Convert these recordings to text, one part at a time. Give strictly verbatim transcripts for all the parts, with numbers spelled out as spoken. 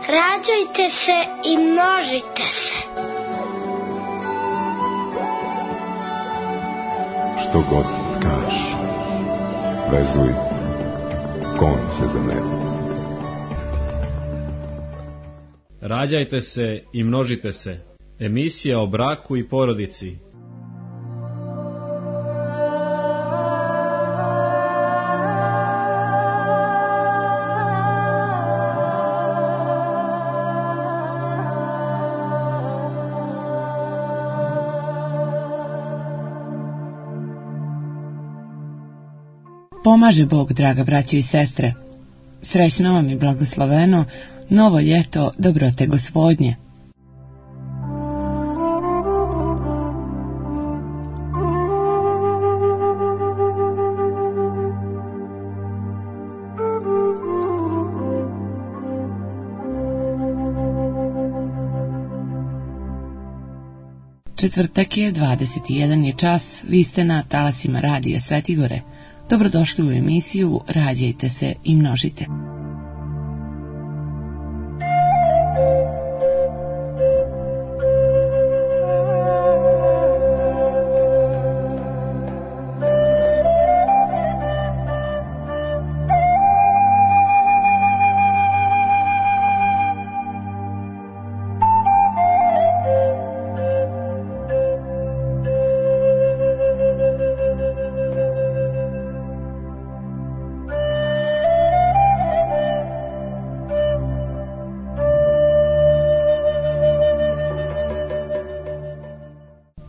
Rađajte se i množite se. Što god tkaš, vezuj konce za nebo. Rađajte se i množite se. Emisija o braku i porodici. Pomaže Bog, draga braćo i sestre. Srećno vam i blagosloveno novo ljeto dobrote Gospodnje. Četvrtak je, dvadeset jedan je čas, vi ste na talasima radija Svetigore. Dobrodošli u emisiju Rađajte se i množite.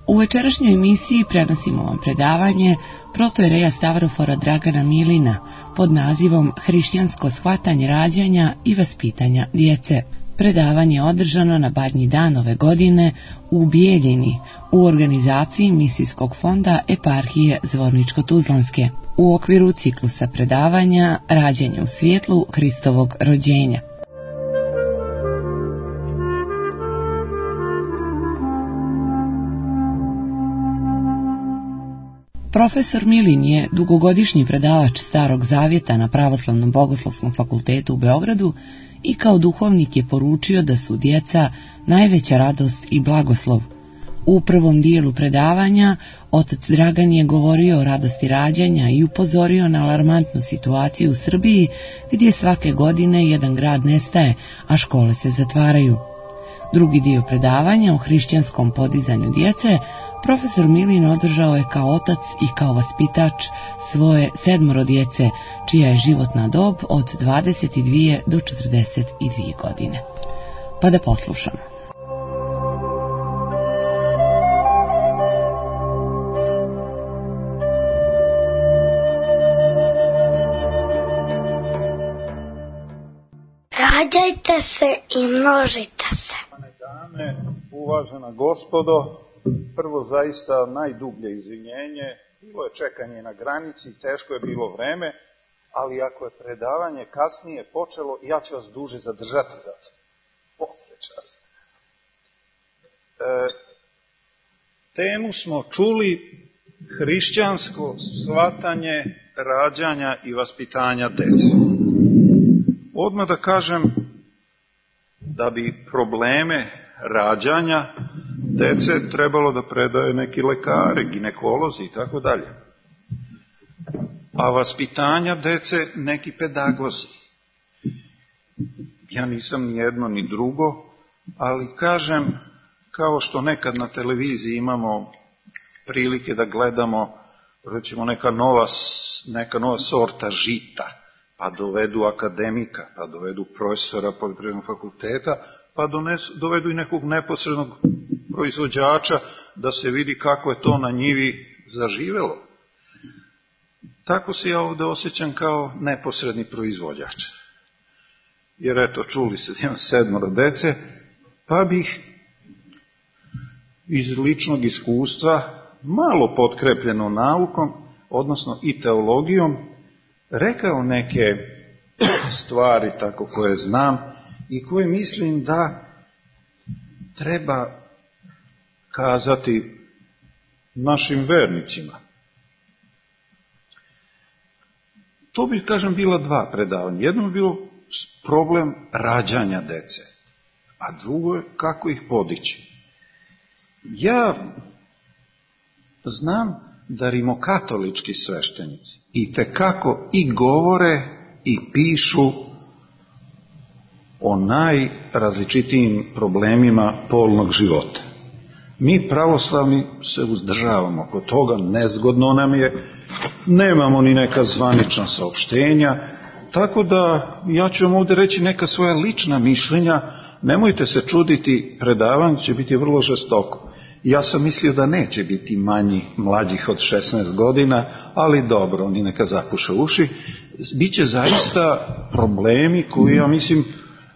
U večerašnjoj emisiji prenosimo vam predavanje protoijereja Stavrofora Dragana Milina pod nazivom Hrišćansko shvatanje rađanja i vaspitanja djece. Predavanje je održano na Badnji dan ove godine u Bijeljini u organizaciji Misijskog fonda Eparhije Zvorničko-Tuzlanske u okviru ciklusa predavanja Rađanje u svjetlu Hristovog rođenja. Profesor Milin je dugogodišnji predavač Starog Zavjeta na Pravoslavnom bogoslovskom fakultetu u Beogradu i kao duhovnik je poručio da su djeca najveća radost i blagoslov. U prvom dijelu predavanja otac Dragan je govorio o radosti rađanja i upozorio na alarmantnu situaciju u Srbiji gdje svake godine jedan grad nestaje, a škole se zatvaraju. Drugi dio predavanja o hrišćanskom podizanju djece profesor Milin održao je kao otac i kao vaspitač svoje sedmoro djece, čija je životna dob od dvadeset dvije do četrdeset dvije godine. Pa da poslušamo. Rađajte se i množite se. Dame, uvažena gospodo, prvo zaista najdublje izvinjenje, bilo je čekanje na granici, teško je bilo vreme, ali ako je predavanje kasnije počelo, ja ću vas duže zadržati da posle časa. E, temu smo čuli: hrišćansko shvatanje rađanja i vaspitanja dece. Odmah da kažem da bi probleme rađanja dece trebalo da predaje neki lekari, ginekolozi i tako dalje. A vaspitanja dece neki pedagozi. Ja nisam ni jedno ni drugo, ali kažem, kao što nekad na televiziji imamo prilike da gledamo, recimo neka nova, neka nova sorta žita, pa dovedu akademika, pa dovedu profesora poljoprivrednog fakulteta, pa donesu, dovedu i nekog neposrednog proizvođača da se vidi kako je to na njivi zaživelo. Tako se ja ovdje osjećam kao neposredni proizvođač. Jer eto, čuli se da imam sedmoro dece, pa bih iz ličnog iskustva, malo potkrepljeno naukom, odnosno i teologijom, rekao neke stvari tako koje znam i koje mislim da treba kazati našim vernicima. To bi, kažem, bila dva predavanja. Jedno bi bilo problem rađanja dece, a drugo je kako ih podići. Ja znam da rimokatolički sveštenici i tekako i govore i pišu o najrazličitijim problemima polnog života. Mi pravoslavni se uzdržavamo oko toga, nezgodno nam je, nemamo ni neka zvanična saopštenja, tako da ja ću vam ovdje reći neka svoja lična mišljenja, nemojte se čuditi, predavanje će biti vrlo žestoko. Ja sam mislio da neće biti manji mlađih od šesnaest godina, ali dobro, oni neka zapuše uši. Biće zaista problemi koji ja mislim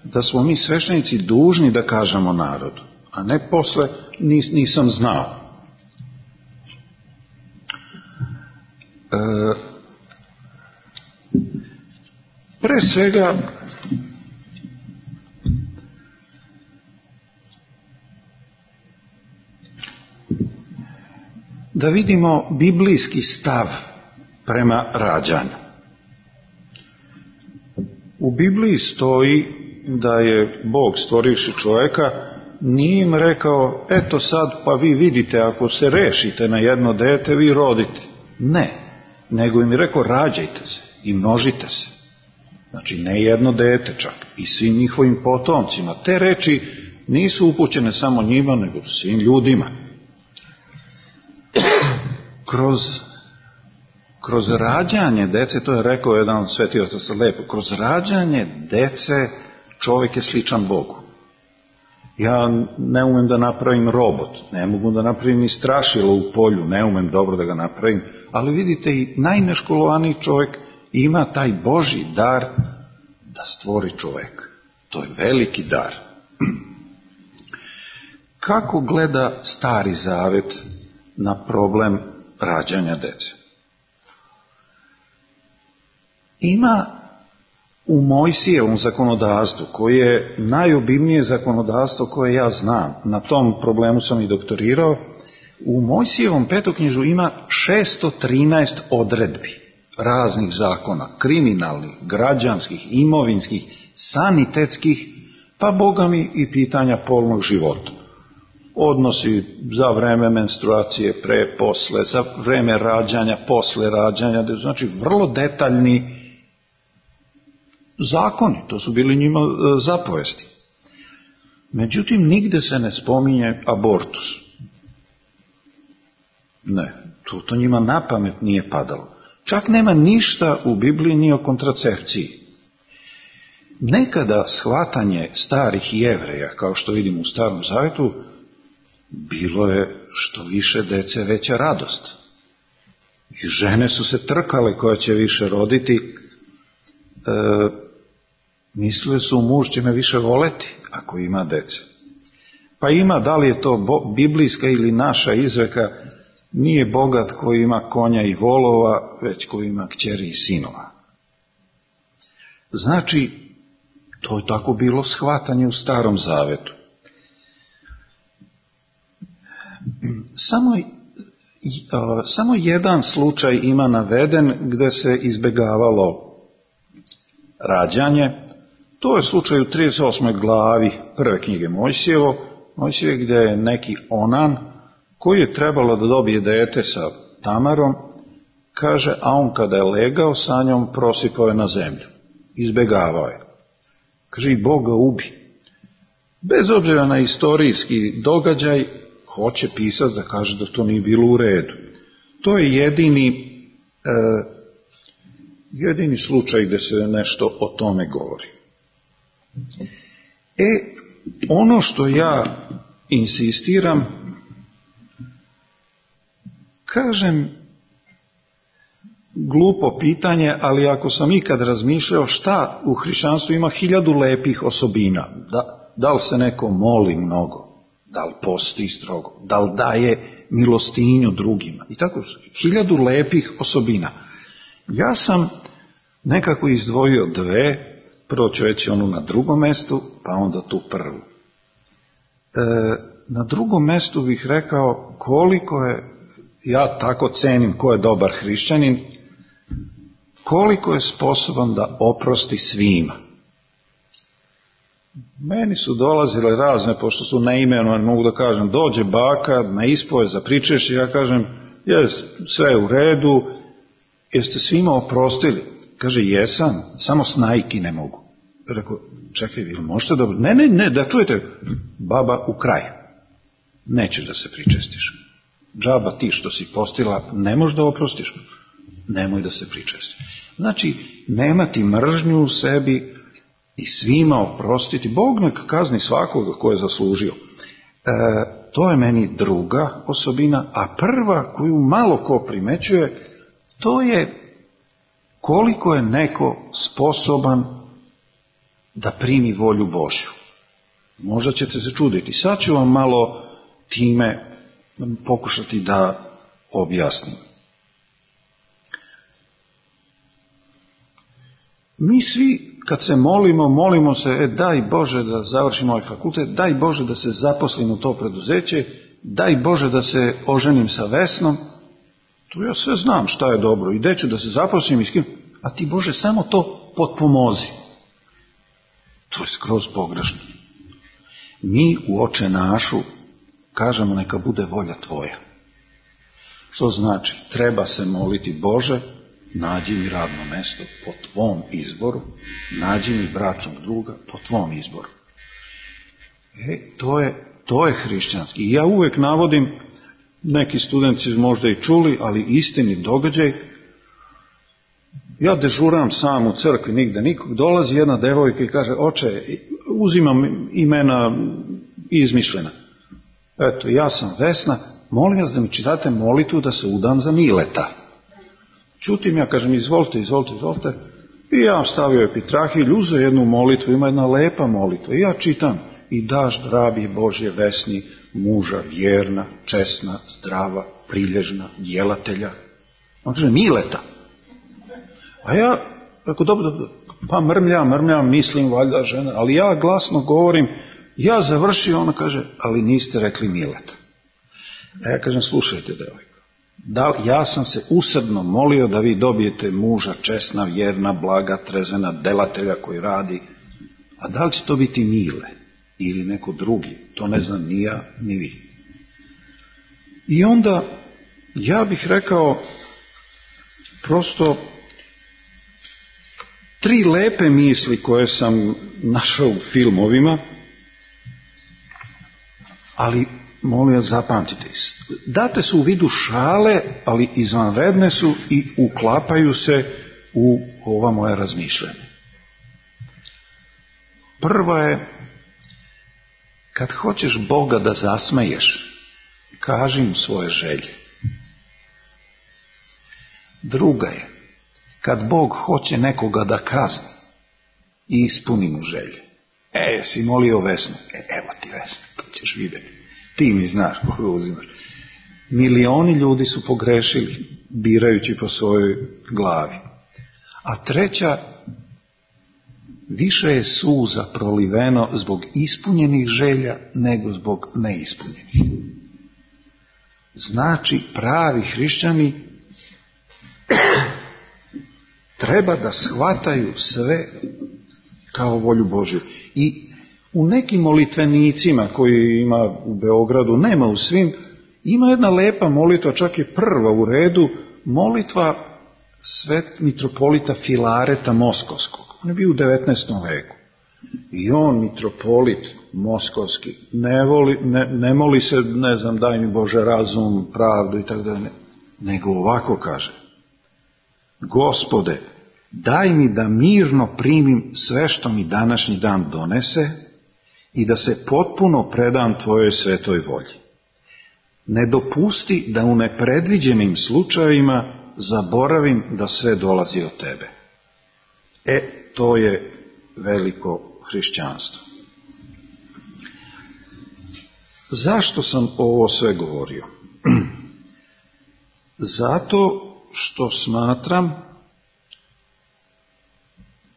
da smo mi sveštenici dužni da kažemo narodu, a ne posle nis, nisam znao. E, pre svega da vidimo biblijski stav prema rađanju. U Bibliji stoji da je Bog stvorivši čovjeka, nije im rekao, eto sad pa vi vidite, ako se rešite na jedno dete, vi rodite. Ne, nego im je rekao, rađajte se i množite se. Znači ne jedno dete čak, i svim njihovim potomcima. Te reči nisu upućene samo njima, nego svim ljudima. Kroz, kroz rađanje dece, to je rekao jedan sveti otac lepo, kroz rađanje dece čovjek je sličan Bogu. Ja ne umem da napravim robot, ne mogu da napravim ni strašilo u polju, ne umem dobro da ga napravim, ali vidite i najneškolovaniji čovjek ima taj Božji dar da stvori čovjek. To je veliki dar. Kako gleda Stari Zavet na problem rađanja dece? Ima u Mojsijevom zakonodavstvu, koje je najobimnije zakonodavstvo koje ja znam, na tom problemu sam i doktorirao, u Mojsijevom petoknjižu ima šesto trinaest odredbi raznih zakona, kriminalnih, građanskih, imovinskih, sanitetskih, pa Boga mi i pitanja polnog života. Odnosi za vreme menstruacije, pre, posle, za vreme rađanja, posle rađanja, znači vrlo detaljni zakoni, to su bili njima zapovesti. Međutim, nigde se ne spominje abortus. Ne, to, to njima na pamet nije padalo. Čak nema ništa u Bibliji ni o kontracepciji. Nekada shvatanje starih Jevreja, kao što vidimo u Starom Zavetu, bilo je što više dece veća radost. I žene su se trkale koja će više roditi. E, mislili su, muž će me više voleti ako ima dece. Pa ima, da li je to bo, biblijska ili naša izreka, nije bogat koji ima konja i volova, već koji ima kćeri i sinova. Znači, to je tako bilo shvatanje u Starom Zavetu. Samo, samo jedan slučaj ima naveden gdje se izbjegavalo rađanje. To je slučaj u trideset osmoj glavi prve knjige Mojsijevo, Mojsijevo gdje je neki Onan koji je trebalo da dobije dete sa Tamarom, kaže, a on kada je legao sa njom prosipao je na zemlju. Izbjegavao je. Kaže, i Bog ga ubi. Bez obzira na istorijski događaj, hoće pisac da kaže da to nije bilo u redu. To je jedini, eh, jedini slučaj gdje se nešto o tome govori. E, ono što ja insistiram, kažem, glupo pitanje, ali ako sam ikad razmišljao šta u hrišćanstvu ima hiljadu lepih osobina, da, da li se neko moli mnogo, da li posti strogo, da li daje milostinju drugima, i tako, hiljadu lepih osobina. Ja sam nekako izdvojio dve, prvo ću reći onu na drugom mjestu, pa onda tu prvu. E, na drugom mjestu bih rekao koliko je, ja tako cenim ko je dobar hrišćanin, koliko je sposoban da oprosti svima. Meni su dolazile razne, pošto su neimenovane, mogu da kažem, dođe baka na ispoved za pričešće, ja kažem, je, sve je u redu, jeste svima oprostili? Kaže, jesam, samo snajki ne mogu. Rekao, čekaj, vi možete da... Ne, ne, ne, da čujete, baba u kraj. Nećeš da se pričestiš. Džaba ti što si postila, ne možeš da oprostiš. Nemoj da se pričesti. Znači, nemati mržnju u sebi i svima oprostiti. Bog nek kazni svakoga ko je zaslužio. E, to je meni druga osobina, a prva koju malo ko primećuje, to je koliko je neko sposoban da primi volju Božju. Možda ćete se čuditi. Sad ću vam malo time pokušati da objasnim. Mi svi kad se molimo, molimo se, e, daj Bože da završimo ovaj fakultet, daj Bože da se zaposlim u to preduzeće, daj Bože da se oženim sa Vesnom. To ja sve znam šta je dobro i gde ću da se zaposlim i s kim, a ti Bože samo to potpomozi. To je skroz pogrešno. Mi u Oče našu kažemo neka bude volja tvoja. Što znači? Treba se moliti, Bože, nađi mi radno mesto po tvom izboru, nađi mi bračnog druga po tvom izboru. E, to je, to je hrišćanski. I ja uvek navodim, neki studenti možda i čuli, ali istini događaj, ja dežuram sam u crkvi, nigde nikog, dolazi jedna devojka i kaže, oče, uzimam imena izmišljena. Eto, ja sam Vesna, molim vas da mi čitate molitvu da se udam za Mileta. Čutim, ja kažem, izvolite, izvolite, izvolite. I ja stavio epitrahilj, uzeo jednu molitvu, ima jedna lepa molitva. I ja čitam, i daš rabi Božje Vesni, muža vjerna, česna, zdrava, prilježna, djelatelja. On kaže, Mileta. A ja, rekao, dobro, dobro, pa mrmljam, mrmljam, mislim, valjda žena, ali ja glasno govorim, ja završio, ona kaže, ali niste rekli Mileta. A ja kažem, slušajte, devojko, da, ja sam se usrdno molio da vi dobijete muža česna, vjerna, blaga, trezvena, delatelja koji radi, a da li će to biti Mile ili neko drugi, to ne znam ni ja, ni vi. I onda, ja bih rekao, prosto, tri lepe misli koje sam našao u filmovima, ali molim vas zapamtite, date su u vidu šale, ali izvanredne su i uklapaju se u ova moja razmišljanja. Prva je, kad hoćeš Boga da zasmeješ, kaži mu svoje želje. Druga je, kad Bog hoće nekoga da kazni, ispuni mu želje. E, jesi molio Vesnu? E, evo ti Vesna, pa ćeš vidjeti. Ti mi znaš koga uzimaš. Milioni ljudi su pogrešili, birajući po svojoj glavi. A treća, više je suza proliveno zbog ispunjenih želja nego zbog neispunjenih. Znači, pravi hrišćani treba da shvataju sve kao volju Božju. I u nekim molitvenicima koji ima u Beogradu, nema u svim, ima jedna lepa molitva, čak je prva u redu, molitva svet mitropolita Filareta Moskovskog. On je bio u devetnaestom veku. I on, mitropolit Moskovski, ne, voli, ne, ne moli se, ne znam, daj mi Bože razum, pravdu i tako da ne, nego ovako kaže: Gospode, daj mi da mirno primim sve što mi današnji dan donese i da se potpuno predam tvojoj svetoj volji. Ne dopusti da u nepredviđenim slučajevima zaboravim da sve dolazi od tebe. E, to je veliko hrišćanstvo. Zašto sam ovo sve govorio? Zato što smatram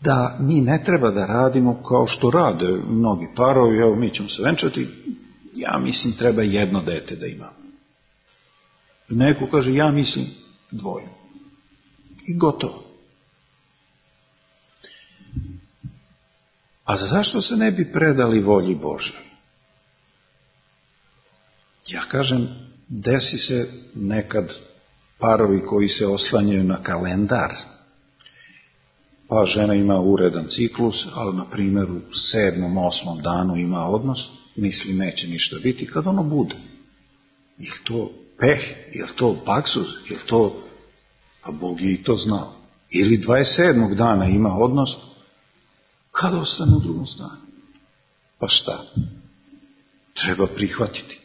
da mi ne treba da radimo kao što rade mnogi parovi, evo mi ćemo se venčati, ja mislim treba jedno dete da imam. Neko kaže ja mislim dvoje. I gotovo. A zašto se ne bi predali volji Božjoj? Ja kažem, desi se nekad parovi koji se oslanjaju na kalendar, pa žena ima uredan ciklus, ali na primjer u sedmom, osmom danu ima odnos, misli neće ništa biti, kad ono bude. Je li to peh, je li to baksuz, je li to, pa Bog je i to znao. Ili dvadeset sedmog dana ima odnos, kad ostane u drugom stanju. Pa šta? Treba prihvatiti.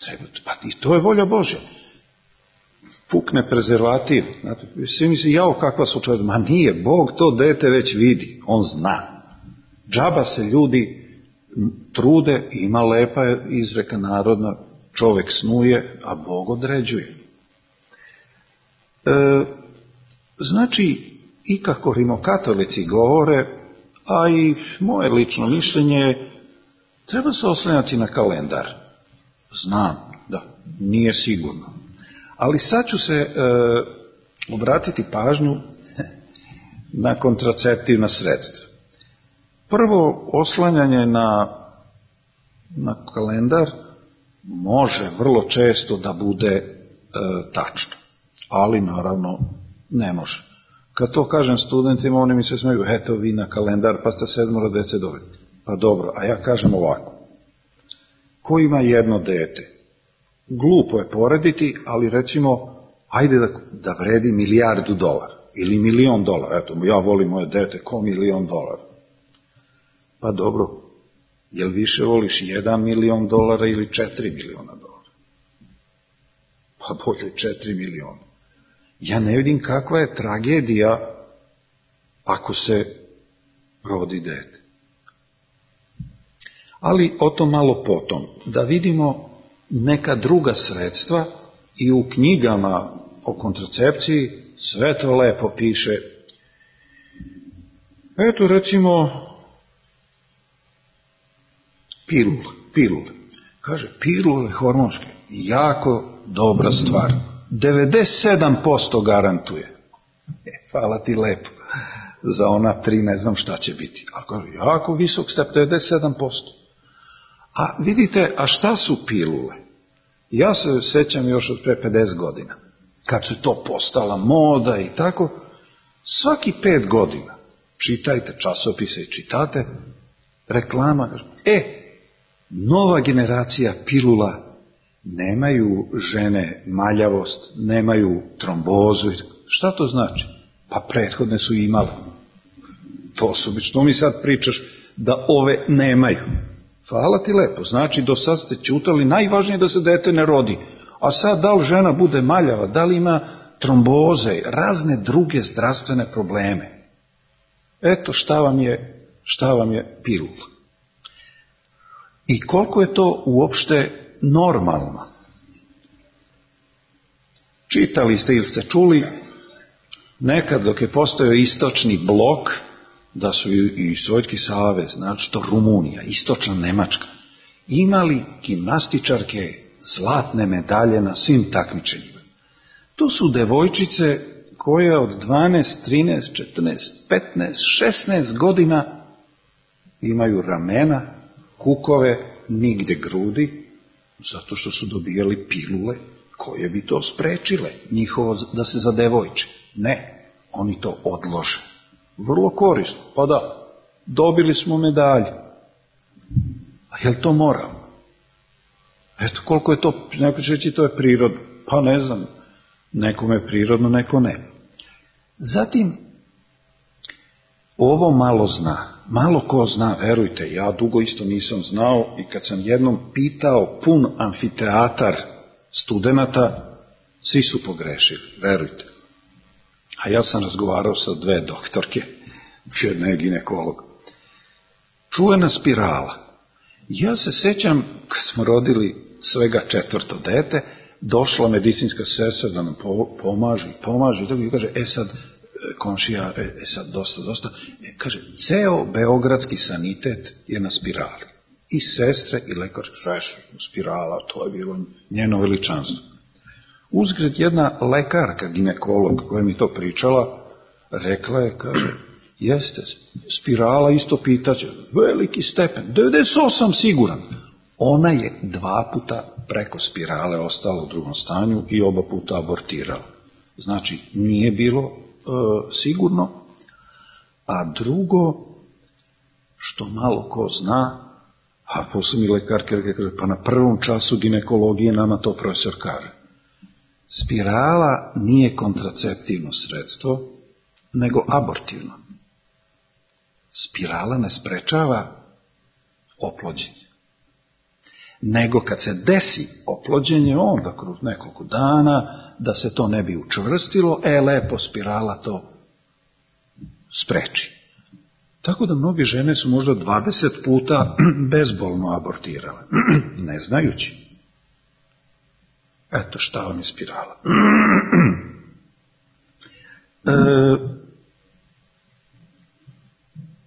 Treba, pa i to je volja Božja. Pukne prezervativ. Znate, svi misli, jao kakva slučajda. Ma nije, Bog to dete već vidi. On zna. Džaba se ljudi trude, ima lepa izreka narodna, čovjek snuje, a Bog određuje. E, znači, i kako rimokatolici govore, a i moje lično mišljenje, treba se oslanjati na kalendar. Znam, da, nije sigurno. Ali sad ću se e, obratiti pažnju na kontraceptivna sredstva. Prvo, oslanjanje na, na kalendar može vrlo često da bude e, tačno, ali naravno ne može. Kad to kažem studentima, oni mi se smeju, eto vi na kalendar, pa ste sedmoro dece dobili. Pa dobro, a ja kažem ovako. Ko ima jedno dete? Glupo je porediti, ali recimo, ajde da, da vredi milijardu dolara ili milion dolara. Eto, ja volim moje dete ko milion dolara. Pa dobro, jel više voliš jedan milion dolara ili četiri miliona dolara? Pa bolje četiri miliona. Ja ne vidim kakva je tragedija ako se rodi dete. Ali o tom malo potom. Da vidimo neka druga sredstva i u knjigama o kontracepciji sve to lepo piše. Eto recimo pilule. pilule. Kaže, pilule hormonske, jako dobra stvar. devedeset sedam posto garantuje. E, hvala ti lepo. Za ona tri ne znam šta će biti. Ali kaže, jako visok step, devedeset sedam posto. A vidite, a šta su pilule? Ja se sećam još od pre pedeset godina, kad su to postala moda i tako, svaki pet godina, čitajte časopise i čitate, reklama, e, nova generacija pilula, nemaju žene maljavost, nemaju trombozu. Šta to znači? Pa prethodne su imale. To su, što mi sad pričaš da ove nemaju? Hvala ti lepo, znači do sad ste čutali, najvažnije da se dete ne rodi. A sad da li žena bude maljava, da li ima tromboze, razne druge zdravstvene probleme. Eto šta vam je, šta vam je pilula. I koliko je to uopšte normalno. Čitali ste ili ste čuli, nekad dok je postojao istočni blok, da su i Sovjetski savez, znači to Rumunija, istočna Nemačka, imali gimnastičarke zlatne medalje na svim takmičenjima. To su devojčice koje od dvanaest, trinaest, četrnaest, petnaest, šesnaest godina imaju ramena, kukove, nigde grudi, zato što su dobijali pilule koje bi to sprečile, njihovo da se zadevojče. Ne, oni to odlože. Vrlo korisno, pa da, dobili smo medalje. A je li to moralno? Eto, koliko je to, neko će reći to je prirodno. Pa ne znam, nekome je prirodno, neko ne. Zatim, ovo malo zna, malo ko zna, verujte, ja dugo isto nisam znao i kad sam jednom pitao pun amfiteatar studenata, svi su pogrešili, verujte. A ja sam razgovarao sa dve doktorke, jedna je ginekolog. Čuvena spirala. Ja se sećam, kad smo rodili svega četvrto dete, došla medicinska sestra da nam pomaže i pomaže i tako i kaže, e sad, komšija, e, e sad, dosta, dosta. E, kaže, ceo beogradski sanitet je na spirali. I sestre i lekar, šeš, spirala, to je bilo njeno veličanstvo. Uzgred jedna lekarka, ginekolog, koja mi to pričala, rekla je, kaže, Jeste, spirala isto pitaće, veliki stepen, devedeset osam siguran. Ona je dva puta preko spirale ostala u drugom stanju i oba puta abortirala. Znači, nije bilo e, sigurno. A drugo, što malo ko zna, a posle mi lekarka kaže, pa na prvom času ginekologije nama to profesor kaže. Spirala nije kontraceptivno sredstvo, nego abortivno. Spirala ne sprečava oplođenje. Nego kad se desi oplođenje, onda kroz nekoliko dana, da se to ne bi učvrstilo, e, lepo spirala to spreči. Tako da mnoge žene su možda dvadeset puta bezbolno abortirale, ne znajući. Eto šta vam je spirala. E,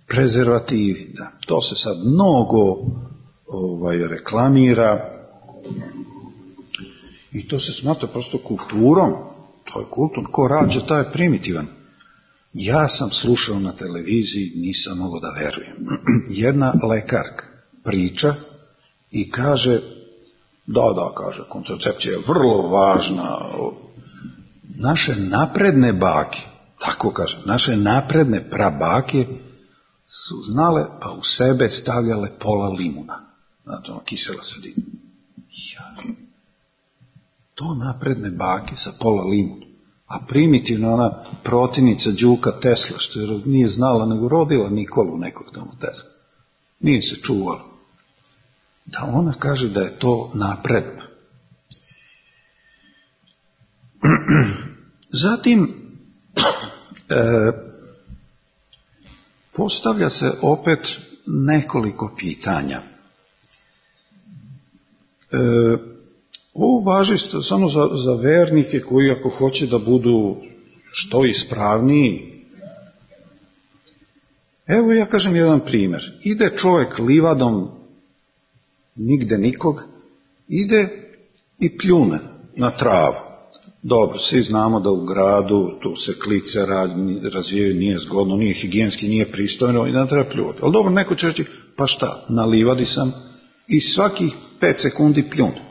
prezervativi, da, to se sad mnogo ovaj, reklamira i to se smatra prosto kulturom, to je kulturno, ko rađa, taj je primitivan. Ja sam slušao na televiziji, nisam mogao da verujem. Jedna lekarka priča i kaže, da, da, kaže, kontracepcija je vrlo važna. Naše napredne bake, tako kaže, naše napredne prabake su znale, pa u sebe stavljale pola limuna. Znate, ono, kisela sredina. Ja. To napredne bake sa pola limuna. A primitivna ona protivnica Đuka Tesla, što je nije znala, nego rodila Nikolu nekog tamo Tesla. Nije se čuvala. Da ona kaže da je to napredno. Zatim, e, postavlja se opet nekoliko pitanja. E, Ovo važi samo za, za vernike koji ako hoće da budu što ispravniji. Evo ja kažem jedan primjer. Ide čovjek livadom, nigde nikog, ide i pljune na travu. Dobro, svi znamo da u gradu tu se klice razvijaju, nije zgodno, nije higijenski, nije pristojno i da treba pljuvati. Ali dobro, neko će reći, pa šta, na livadi sam i svakih pet sekundi pljune.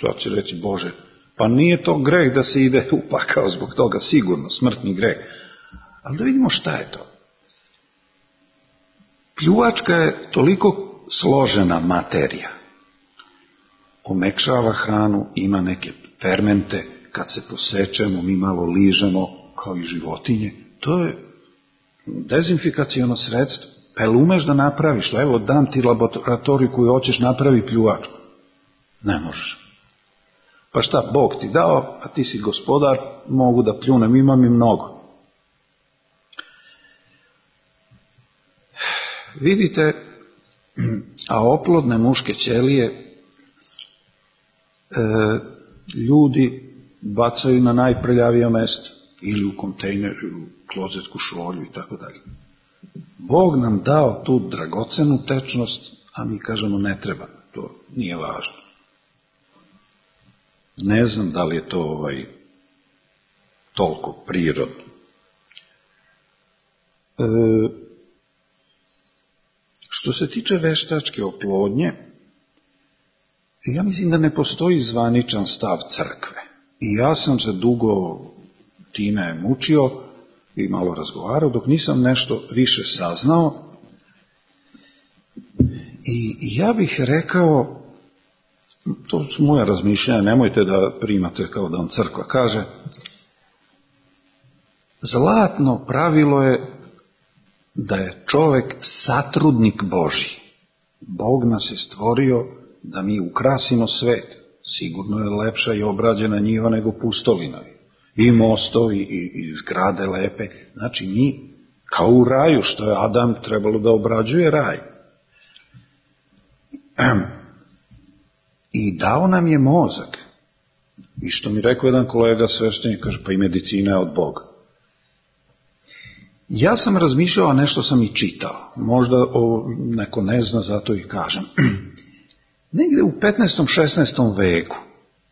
Sad će reći, Bože, pa nije to greh da se ide u pakao zbog toga, sigurno, smrtni greh. Ali da vidimo šta je to. Pljuvačka je toliko složena materija. Omekšava hranu, ima neke fermente, kad se posečemo, mi malo ližemo, kao i životinje. To je dezinfikaciono sredstvo. Pa jel umeš da napraviš? Evo, dam ti laboratoriju koju hoćeš, napravi pljuvačku. Ne možeš. Pa šta, Bog ti dao, a ti si gospodar, mogu da pljunem, imam i mnogo. Vidite, a oplodne muške ćelije e, ljudi bacaju na najprljavija mesta, ili u kontejner, ili u klozetsku šolju i tako dalje. Bog nam dao tu dragocenu tečnost, a mi kažemo ne treba, to nije važno. Ne znam da li je to ovaj, toliko prirodno. E, što se tiče veštačke oplodnje, ja mislim da ne postoji zvaničan stav crkve. I ja sam se dugo time mučio i malo razgovarao, dok nisam nešto više saznao. I ja bih rekao, to su moja razmišljanja, nemojte da primate kao da vam crkva kaže, zlatno pravilo je da je čovjek satrudnik Božji. Bog nas je stvorio da mi ukrasimo svet. Sigurno je lepša i obrađena njiva nego pustolina. I mostovi, i, i zgrade lepe. Znači mi, kao u raju, što je Adam trebalo da obrađuje raj. I dao nam je mozak. I što mi rekao jedan kolega sveštenik, kaže, pa i medicina je od Boga. Ja sam razmišljao, a nešto sam i čitao. Možda o, neko ne zna, zato i kažem. Negdje u petnaestom šesnaestom veku,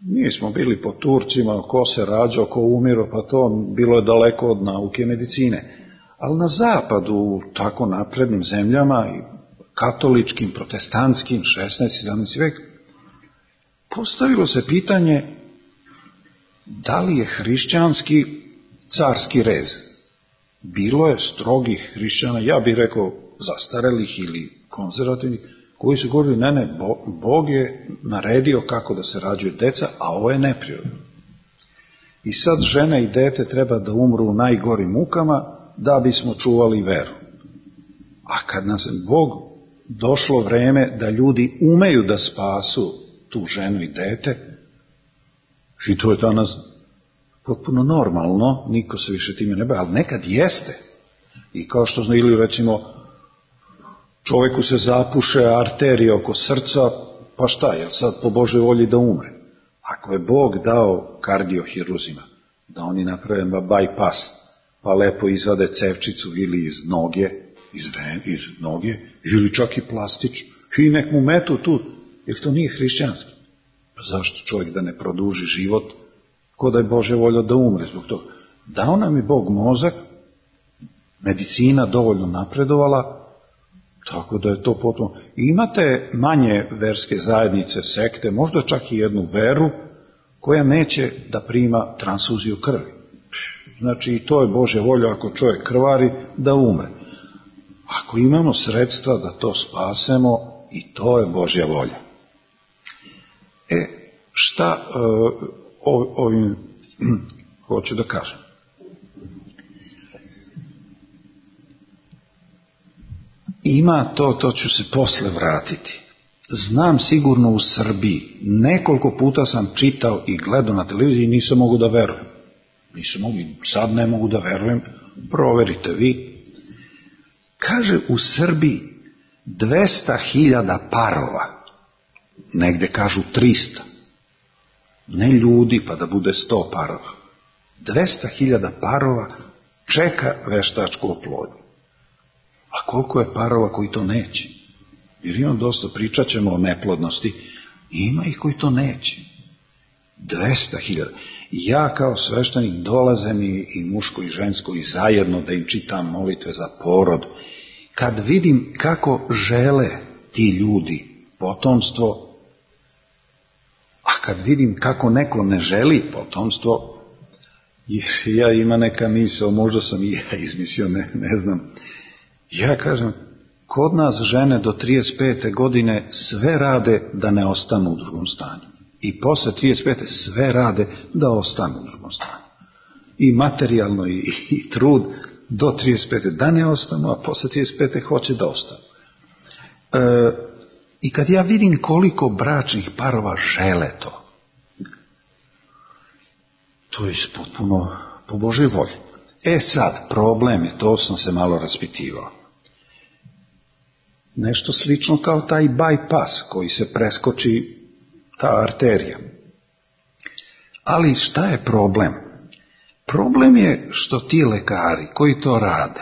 mi smo bili po Turcima, ko se rađao, ko umiro, pa to bilo je daleko od nauke medicine. Ali na zapadu, u tako naprednim zemljama, i katoličkim, protestantskim, šesnaesti sedamnaesti vek, postavilo se pitanje da li je hrišćanski carski rez. Bilo je strogih hrišćana, ja bih rekao zastarelih ili konzervativnih, koji su govorili, ne, ne, Bog je naredio kako da se rađaju deca, a ovo je neprirodno. I sad žena i dete treba da umru u najgorim mukama da bismo čuvali veru. A kad nas je Bog došlo vreme da ljudi umeju da spasu tu ženu i dete, i to je danas potpuno normalno, niko se više time ne bavi, ali nekad jeste. I kao što znali, recimo, čoveku se zapuše arterija oko srca, pa šta, jel sad po Božoj volji da umre? Ako je Bog dao kardiohiruzima, da oni naprave bypass, pa lepo izvade cevčicu ili iz noge, iz, ven, iz noge, ili čak i plastič, i nek mu metu tu, jer to nije hrišćanski. Pa zašto čovjek da ne produži život, ko da je Božja volja da umre zbog toga? Dao nam je Bog mozak, medicina dovoljno napredovala, tako da je to potpuno. I imate manje verske zajednice, sekte, možda čak i jednu veru, koja neće da prima transfuziju krvi. Znači i to je Božja volja, ako čovjek krvari, da umre. Ako imamo sredstva da to spasemo, i to je Božja volja. E, šta e, ovim hoću da kažem? Ima to, to ću se posle vratiti. Znam sigurno u Srbiji, nekoliko puta sam čitao i gledao na televiziji i nisam mogu da verujem. Nisam mogu, sad ne mogu da verujem, proverite vi. Kaže u Srbiji dvesta hiljada parova, negde kažu trista, ne ljudi pa da bude sto parova. dvesta hiljada parova čeka veštačku oplodnju. A koliko je parova koji to neće? Jer imam dosta, pričat ćemo o neplodnosti, ima ih koji to neće. dvesta hiljada. Ja kao sveštenik dolazem i, i muško i žensko i zajedno da im čitam molitve za porod. Kad vidim kako žele ti ljudi potomstvo, a kad vidim kako neko ne želi potomstvo, ja ima neka misao, možda sam i ja izmislio, ne, ne znam. Ja kažem, kod nas žene do trideset pete godine sve rade da ne ostanu u drugom stanju. I posle trideset pete sve rade da ostanu u drugom stanju. I materijalno i, i trud do trideset pete da ne ostanu, a posle trideset pete hoće da ostanu. E, I kad ja vidim koliko bračnih parova žele to, to je potpuno po Božoj volji. E sad, problem je, to sam se malo raspitivao. Nešto slično kao taj bypass koji se preskoči ta arterija. Ali šta je problem? Problem je što ti lekari koji to rade,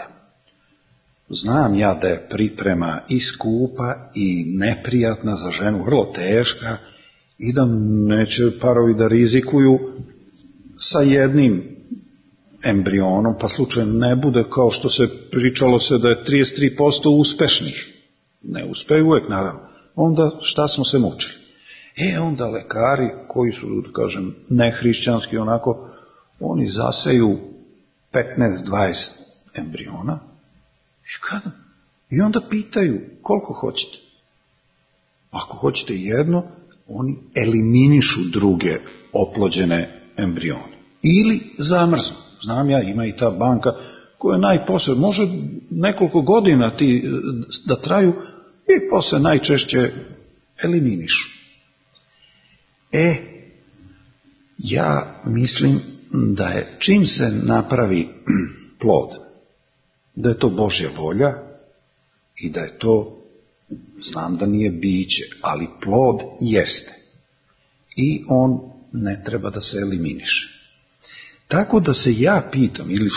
znam ja da je priprema i skupa i neprijatna za ženu, vrlo teška, i da neće parovi da rizikuju sa jednim embrionom, pa slučajno ne bude kao što se pričalo se da je trideset tri posto uspešnih. Ne uspeju uvek, naravno. Onda šta smo se mučili? E, onda lekari koji su, da kažem, nehrišćanski onako, oni zaseju petnaest dvadeset embriona i kada? I onda pitaju koliko hoćete. Ako hoćete jedno, oni eliminišu druge oplođene embrione. Ili zamrznu. Znam ja, ima i ta banka koja je najposle, može nekoliko godina ti da traju i posle najčešće eliminišu. E, ja mislim da je čim se napravi plod, da je to Božja volja i da je to, znam da nije biće, ali plod jeste. I on ne treba da se eliminiše. Tako da se ja pitam, ili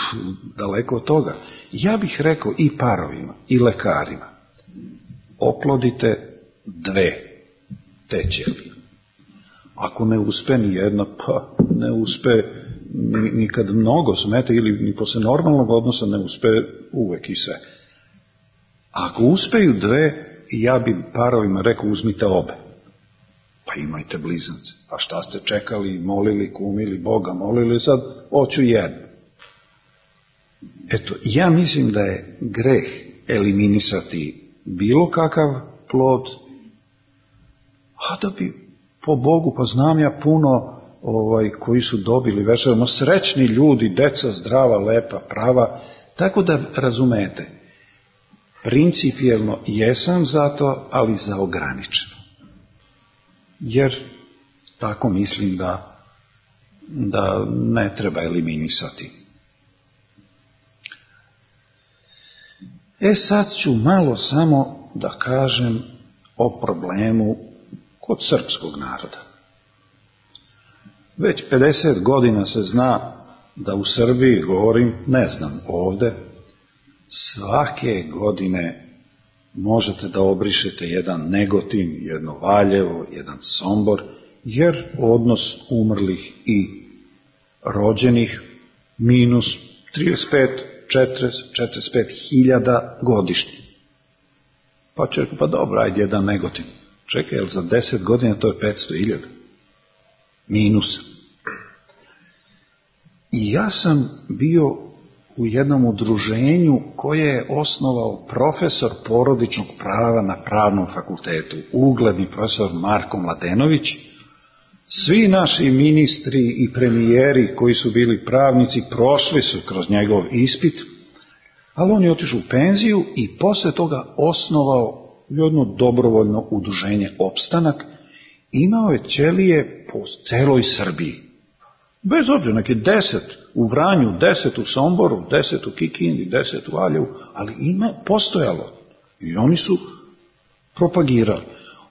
daleko od toga, ja bih rekao i parovima, i lekarima, oplodite dve te ćelije. Ako ne uspe ni jedna, pa ne uspe ni, ni kad mnogo smete ili ni posle normalnog odnosa ne uspe uvek i sve. Ako uspeju dve, ja bi parovima rekao uzmite obe. Pa imajte blizance. A šta ste čekali, molili, kumili Boga, molili, sad hoću jednu. Eto, ja mislim da je greh eliminisati bilo kakav plod, a da bi po Bogu, pa znam ja puno ovaj, koji su dobili večerama, srećni ljudi, deca zdrava, lepa, prava, tako da razumete, principijelno jesam za to, ali za ograničeno. Jer tako mislim da, da ne treba eliminisati. E sad ću malo samo da kažem o problemu kod srpskog naroda. Već pedeset godina se zna da u Srbiji, govorim, ne znam ovde, svake godine možete da obrišete jedan Negotin, jedno Valjevo, jedan Sombor, jer odnos umrlih i rođenih minus trideset pet, četrdeset, četrdeset pet hiljada godišnje. Pa će reći, pa dobro, ajde jedan Negotin. Čekaj, jel za deset godina to je petsto hiljada? Minus. I ja sam bio u jednom udruženju koje je osnovao profesor porodičnog prava na Pravnom fakultetu, ugledni profesor Marko Mladenović. Svi naši ministri i premijeri koji su bili pravnici prošli su kroz njegov ispit, ali on je otišao u penziju i posle toga osnovao jedno dobrovoljno udruženje Opstanak. Imao je ćelije po celoj Srbiji. Bez obzira, neki deset u Vranju, deset u Somboru, deset u Kikindi, deset u Valjevu, ali ima postojalo. I oni su propagirali.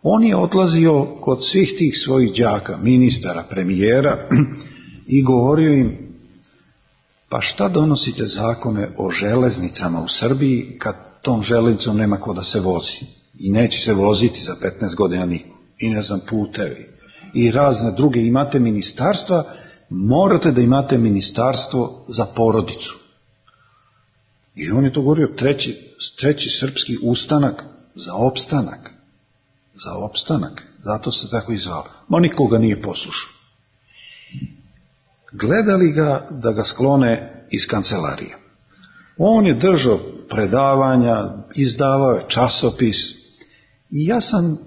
On je odlazio kod svih tih svojih đaka, ministara, premijera i govorio im, pa šta donosite zakone o železnicama u Srbiji kad tom železnicom nema ko da se vozi? I neće se voziti za petnaest godina niko. I ne znam, putevi. I razne druge. Imate ministarstva, morate da imate ministarstvo za porodicu. I on je to govorio, treći, treći srpski ustanak za opstanak. Za opstanak. Zato se tako i zvao. Ma nikoga nije poslušao. Gledali ga da ga sklone iz kancelarije. On je držao predavanja, izdavao je časopis i ja sam,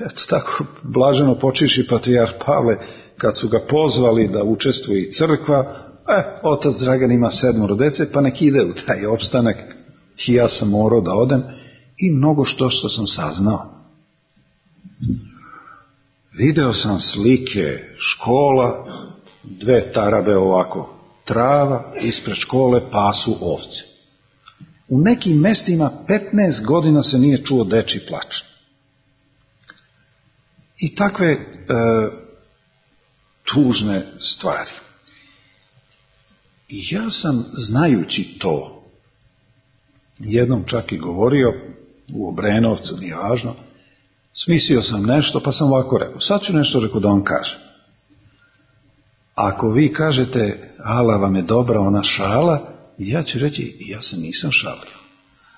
eto tako, blaženo počivši patrijarh Pavle, kad su ga pozvali da učestvuje i crkva, e, otac Dragan ima sedmoro dece, pa nek ide u taj opstanak. I ja sam morao da odem i mnogo što što sam saznao. Video sam slike škola, dve tarabe ovako, trava, ispred škole pasu ovce. U nekim mestima petnaest godina se nije čuo dečji plač. I takve e, tužne stvari. I ja sam, znajući to, jednom čak i govorio, u Obrenovcu, nije važno, smislio sam nešto, pa sam ovako rekao, sad ću nešto rekao da vam kažem. Ako vi kažete, ala vam je dobra ona šala, ja ću reći, ja se nisam šalio.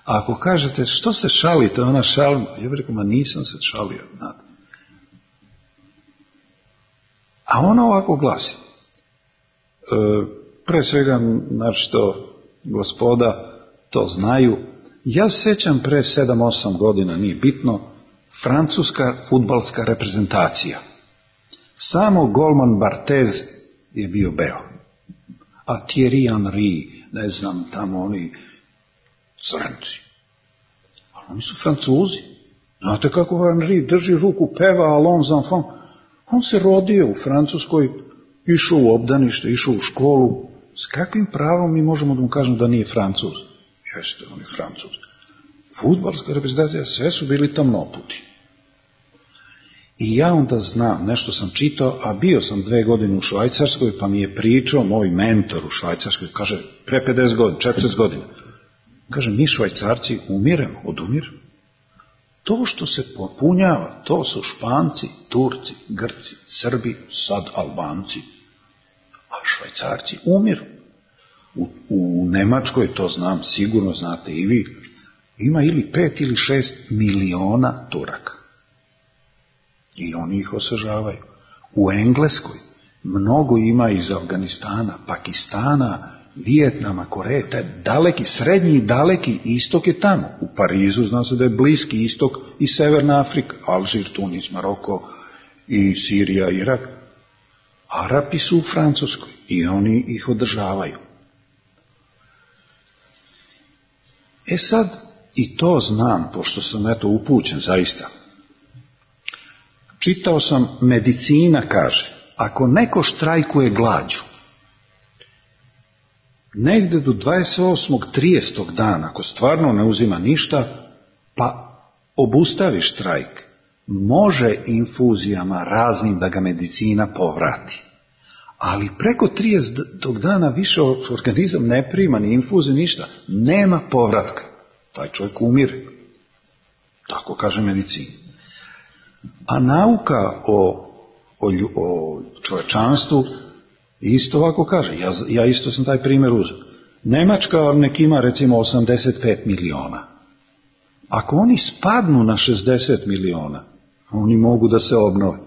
A ako kažete, što se šalite, ona šalima, ja bih rekao, ma nisam se šalio, znate. A ona ovako glasi. E, pre svega, znači to gospoda to znaju, ja se sjećam pre sedam osam godina, nije bitno, francuska fudbalska reprezentacija. Samo golman Barthez je bio beo. A Thierry Henry, ne znam, tamo oni crnci. Ali oni su Francuzi. Znate kako Henry drži ruku, peva Allons enfants. On se rodio u Francuskoj, išao u obdanište, išao u školu. S kakvim pravom mi možemo da mu kažemo da nije Francuz? Jeste, on je Francuz. Fudbalska reprezentacija, sve su bili tamnoputi. I ja onda znam, nešto sam čitao, a bio sam dve godine u Švajcarskoj, pa mi je pričao moj mentor u Švajcarskoj, kaže, pre pedeset godina, četrdeset godina. Kaže, mi Švajcarci umiremo, odumiremo. To što se popunjava, to su Španci, Turci, Grci, Srbi, sad Albanci. a Švajcarci umiru. U, u Nemačkoj, to znam, sigurno znate i vi, ima ili pet ili šest miliona Turaka. I oni ih osvežavaju. U Engleskoj mnogo ima iz Afganistana, Pakistana, Vijetnama, Koreje, taj daleki, srednji i daleki istok je tamo. U Parizu zna se da je bliski istok i Severna Afrika, Alžir, Tunis, Maroko i Sirija, Irak. Arapi su u Francuskoj i oni ih održavaju. E sad, i to znam, pošto sam eto upućen zaista. Čitao sam, medicina kaže, ako neko štrajkuje glađu, negde do dvadeset osmog tridesetog dana, ako stvarno ne uzima ništa, pa obustavi štrajk, može infuzijama raznim da ga medicina povrati. Ali preko tridesetog dana više organizam ne prima ni infuzije, ništa, nema povratka. Taj čovjek umire. Tako kaže medicina. A nauka o, o, o čovečanstvu isto ovako kaže. Ja, ja isto sam taj primjer uzeo. Nemačka nek ima recimo osamdeset pet miliona. Ako oni spadnu na šezdeset miliona, oni mogu da se obnove.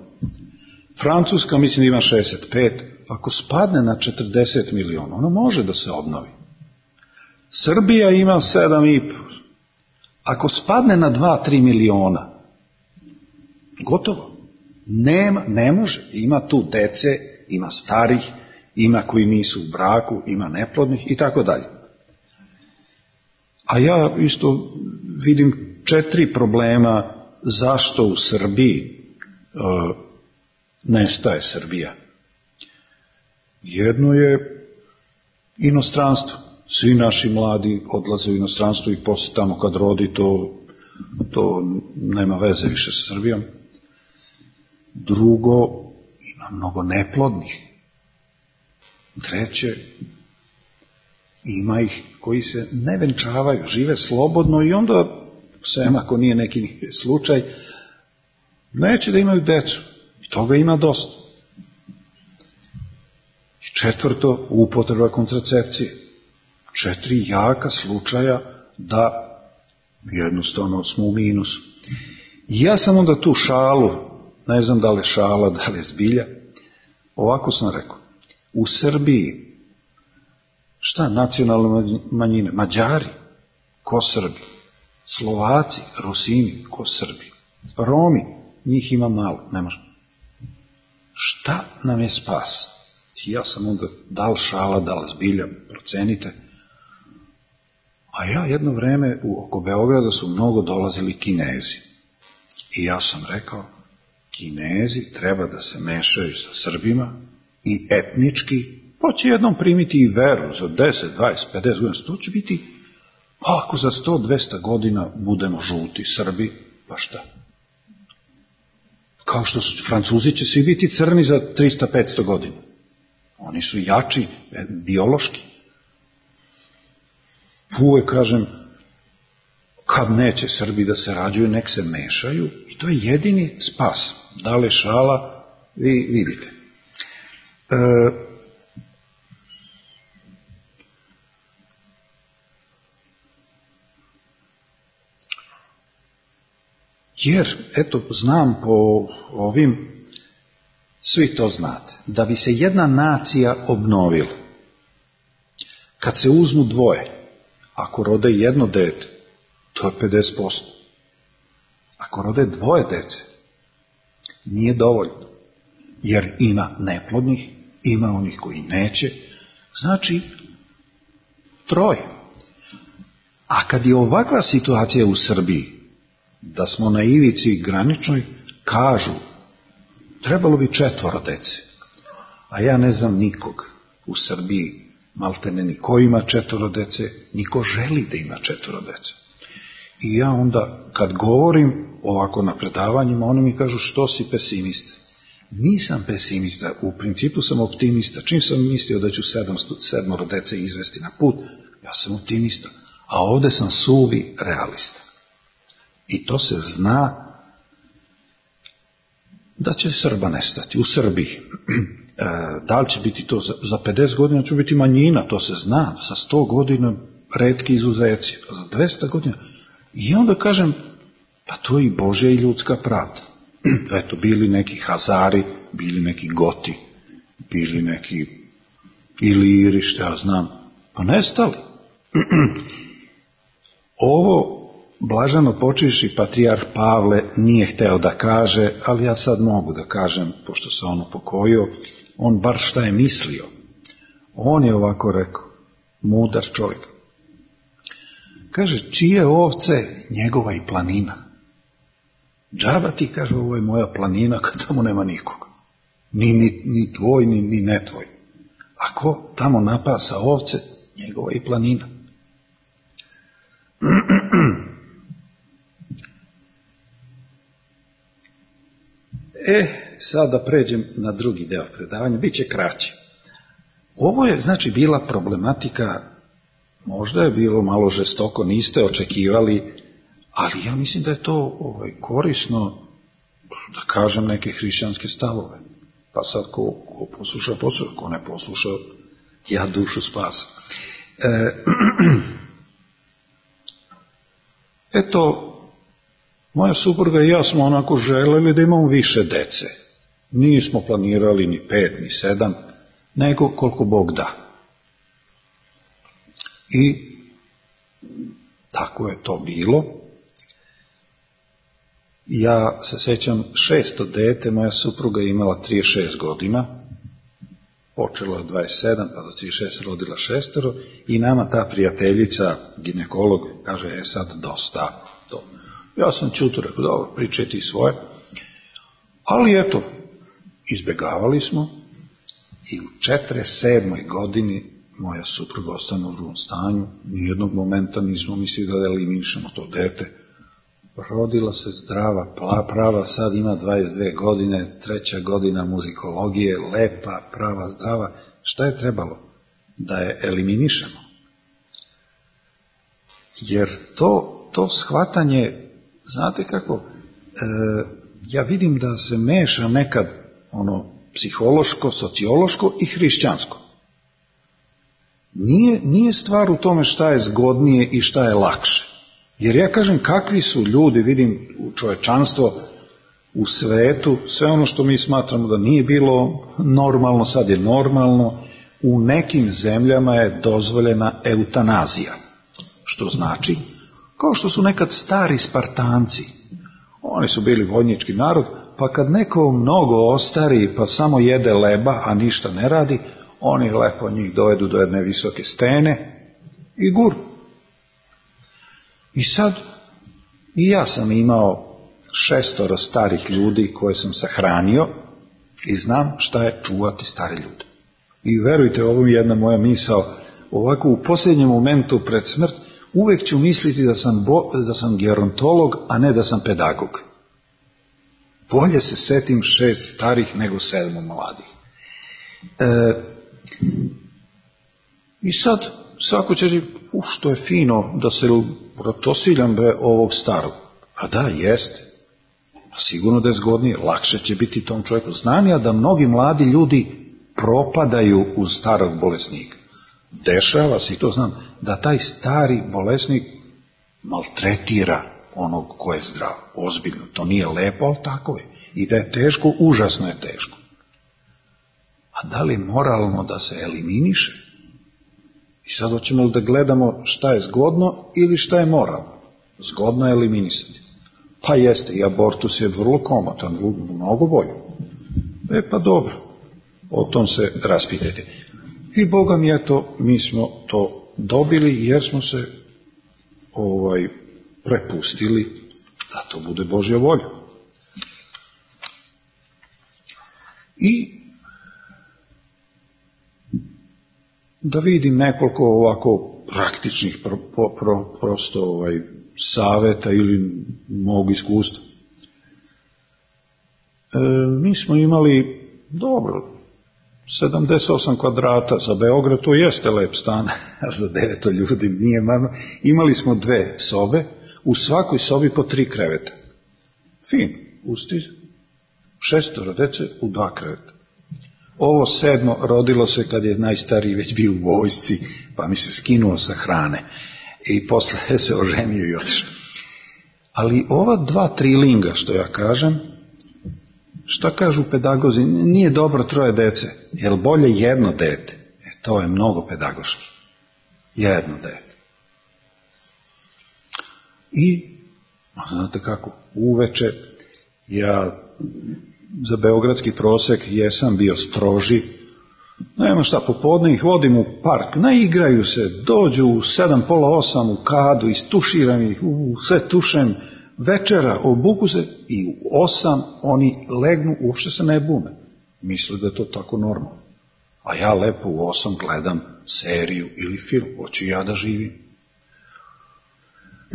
Francuska mislim ima šezdeset pet, ako spadne na četrdeset miliona, ona može da se obnovi. Srbija ima sedam i po. Ako spadne na dva do tri miliona, gotovo. Nema, ne može. Ima tu dece, ima starih, ima koji nisu u braku, ima neplodnih i tako dalje. A ja isto vidim četiri problema zašto u Srbiji uh, nestaje Srbija. Jedno je inostranstvo. Svi naši mladi odlaze u inostranstvo i posle tamo kad rodi to, to nema veze više sa Srbijom. Drugo, ima mnogo neplodnih. Treće, ima ih koji se ne venčavaju, žive slobodno i onda, sem ako nije neki slučaj, neće da imaju decu. I toga ima dosta. I četvrto, upotreba kontracepcije. Četiri jaka slučaja da jednostavno smo u minusu. I ja sam onda tu šalu, ne znam da li je šala, da li je zbilja, ovako sam rekao, u Srbiji, šta nacionalne manjine? Mađari, ko Srbi? Slovaci, Rusini, ko Srbi? Romi, njih ima malo, ne može. Šta nam je spas? I ja sam onda, da li šala, da li zbilja, procenite. A ja jedno vreme u oko Beograda su mnogo dolazili Kinezi. I ja sam rekao, Kinezi treba da se mešaju sa Srbima i etnički, pa će jednom primiti i veru za deset, dvadeset, pedeset godina, to će biti, pa ako za sto, dvesta godina budemo žuti Srbi, pa šta? Kao što su Francuzi će svi biti crni za trista, petsto godina. Oni su jači, biološki. Uvijek kažem, kad neće Srbi da se rađuju, nek se mešaju i to je jedini spas. Da li šala, vi vidite. E, jer, eto, znam po ovim, svi to znate, da bi se jedna nacija obnovila, kad se uzmu dvoje, ako rode jedno dete, to je pedeset posto. Ako rode dvoje dece, nije dovoljno. Jer ima neplodnih, ima onih koji neće, znači troje. A kad je ovakva situacija u Srbiji, da smo na ivici graničnoj, kažu, trebalo bi četvoro dece. A ja ne znam nikog u Srbiji, maltene niko ima četvoro dece, niko želi da ima četvoro dece. I ja onda, kad govorim ovako na predavanjima, oni mi kažu, što si pesimista? Nisam pesimista, u principu sam optimista. Čim sam mislio da ću sedam, sedmoro dece izvesti na put, ja sam optimista. A ovde sam suvi realista. I to se zna. da će Srba nestati u Srbiji. E, da li će biti to za, za pedeset godina će biti manjina, to se zna, za sto godina retki izuzeci, za dvesta godina. I onda kažem, pa to je i Božja i ljudska pravda. Eto, bili neki Hazari, bili neki Goti, bili neki Iliri, što ja znam, pa nestali. Ovo blaženo počivši patrijarh Pavle nije hteo da kaže, ali ja sad mogu da kažem, pošto se on upokojio, on bar šta je mislio. On je ovako rekao, mudar čovjek. Kaže, čije ovce, njegova i planina. Džaba ti, kaže, ovo je moja planina, kad tamo nema nikoga. Ni, ni, ni tvoj, ni, ni ne tvoj. Ako tamo napasa ovce, njegova i planina. E, sad da pređem na drugi deo predavanja, bit će kraće. Ovo je, znači, bila problematika, možda je bilo malo žestoko, niste očekivali, ali ja mislim da je to ovaj, korisno, da kažem, neke hrišćanske stavove. Pa sad ko, ko posluša, posluša, ko ne posluša, ja dušu spasam. E, eto, moja supruga i ja smo onako želeli da imamo više dece. Nismo planirali ni pet, ni sedam, nego koliko Bog da. I tako je to bilo. Ja se sećam, šesto dete, moja supruga je imala trideset šest godina, počela je dvadeset sedam, pa do trideset šest rodila šestero, i nama ta prijateljica, ginekolog, kaže, e sad dosta to. Ja sam čuto rekao, dobro, pričaj ti svoje. Ali eto, izbjegavali smo i u četrdeset sedmoj godini moja supruga ostane u drugom stanju. Nijednog momenta nismo mislili da eliminišemo to dete. Rodila se zdrava, prava, sad ima dvadeset dve godine, treća godina muzikologije, lepa, prava, zdrava. Šta je trebalo? Da je eliminišemo. Jer to, to shvatanje, znate kako, e, ja vidim da se meša nekad ono psihološko, sociološko i hrišćansko. Nije, nije stvar u tome šta je zgodnije i šta je lakše. Jer ja kažem, kakvi su ljudi, vidim u čovečanstvo, u svetu, sve ono što mi smatramo da nije bilo normalno, sad je normalno, u nekim zemljama je dozvoljena eutanazija. Što znači, kao što su nekad stari Spartanci, oni su bili vojnički narod, pa kad neko mnogo ostari, pa samo jede leba, a ništa ne radi, oni lepo njih dovedu do jedne visoke stene i guru. I sad, i ja sam imao šestoro starih ljudi koje sam sahranio i znam šta je čuvati stare ljude. I verujte, ovo je jedna moja misao, ovako u posljednjem momentu pred smrt, uvek ću misliti da sam, bo, da sam gerontolog, a ne da sam pedagog. Bolje se setim šest starih nego sedam mladih. E, I sad, svako će reći, u što je fino da se protosiljam be ovog starog. A da, jeste. Sigurno da je zgodnije, lakše će biti tom čovjeku. Znam ja da mnogi mladi ljudi propadaju uz starog bolesnika. Dešava se, i to znam, da taj stari bolesnik maltretira onog ko je zdrav. Ozbiljno, to nije lepo, ali tako je. I da je teško, užasno je teško. A da li je moralno da se eliminiše? I sad hoćemo da gledamo šta je zgodno ili šta je moralno. Zgodno je eliminisati. Pa jeste, i abortus je vrlo komotan, mnogo bolje. E pa dobro, o tom se raspitajte. I Boga mi, eto, mi smo to dobili jer smo se ovaj prepustili da to bude Božja volja. I da vidim nekoliko ovako praktičnih pro, pro, prosto ovaj, saveta ili mog iskustva. E, mi smo imali, dobro, sedamdeset osam kvadrata za Beograd, to jeste lep stan, a za deveto ljudi nije marno. Imali smo dve sobe, u svakoj sobi po tri kreveta. Fin, usti. Šestoro dece u dva kreveta. Ovo sedmo rodilo se kad je najstariji već bio u vojsci, pa mi se skinuo sa hrane i posle se oženio i otišao. Ali ova dva trilinga, što ja kažem, šta kažu pedagozi, nije dobro troje dece, jer bolje jedno dete. E, to je mnogo pedagoški. Jedno dete. I, znate kako, uveče ja za beogradski prosek jesam bio stroži, nema šta, popodne ih vodim u park, naigraju se, dođu u sedam, pola osam u kadu, istuširam ih, u, sve tušem, večera, obuku se i u osam oni legnu, uopšte se ne bune. Misle da je to tako normalno. A ja lepo u osam gledam seriju ili film, hoću ja da živim.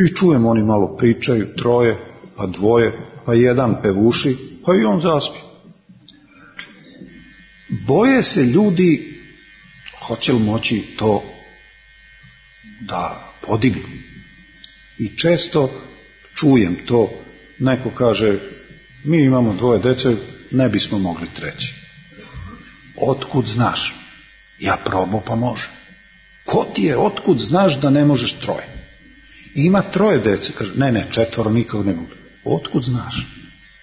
I čujem, oni malo pričaju, troje, pa dvoje, pa jedan pevuši, pa i on zaspi. Boje se ljudi, hoće li moći to da podignu. I često čujem to, neko kaže, mi imamo dvoje dece, ne bismo mogli treći. Otkud znaš? Ja probao pa može. Ko ti je, otkud znaš da ne možeš troje? Ima troje dece, kaže, ne, ne, četvoro nikako ne mogu. Otkud znaš?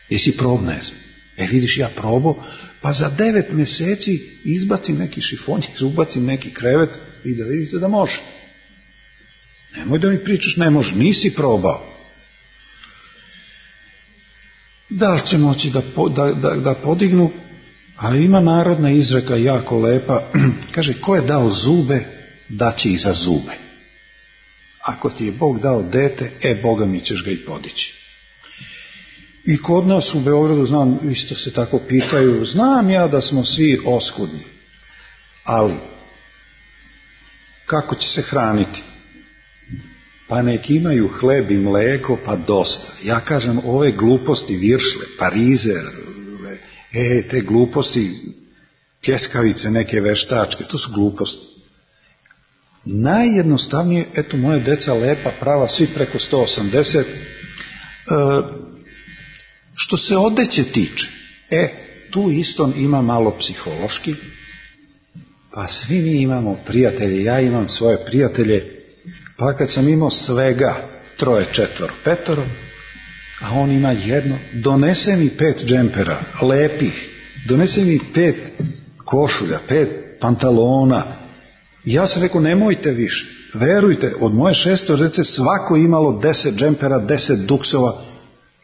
Jesi probao? Ne znam. E vidiš, ja probao, pa za devet mjeseci izbacim neki šifonjer, ubacim neki krevet i da vidite da može. Nemoj da mi pričaš, ne može, nisi probao. Da li će moći da, da, da, da podignu? A ima narodna izreka jako lepa, kaže, ko je dao zube, daće i za zube. Ako ti je Bog dao dete, e, Boga mi ćeš ga i podići. I kod nas u Beogradu, znam, isto se tako pitaju, znam ja da smo svi oskudni, ali kako će se hraniti? Pa nek imaju hleb i mleko, pa dosta. Ja kažem, ove gluposti, viršle, parizer, e, te gluposti, pljeskavice, neke veštačke, to su gluposti. Najjednostavnije, eto, moje deca lepa, prava, svi preko sto osamdeset, e, što se odeće tiče, e, tu isto ima malo psihološki, pa svi mi imamo prijatelje, ja imam svoje prijatelje, pa kad sam imao svega troje, četvoro, petoro, a on ima jedno, donese mi pet džempera, lepih, donese mi pet košulja, pet pantalona. Ja sam rekao, nemojte više, verujte, od moje šesto dece svako imalo deset džempera, deset duksova,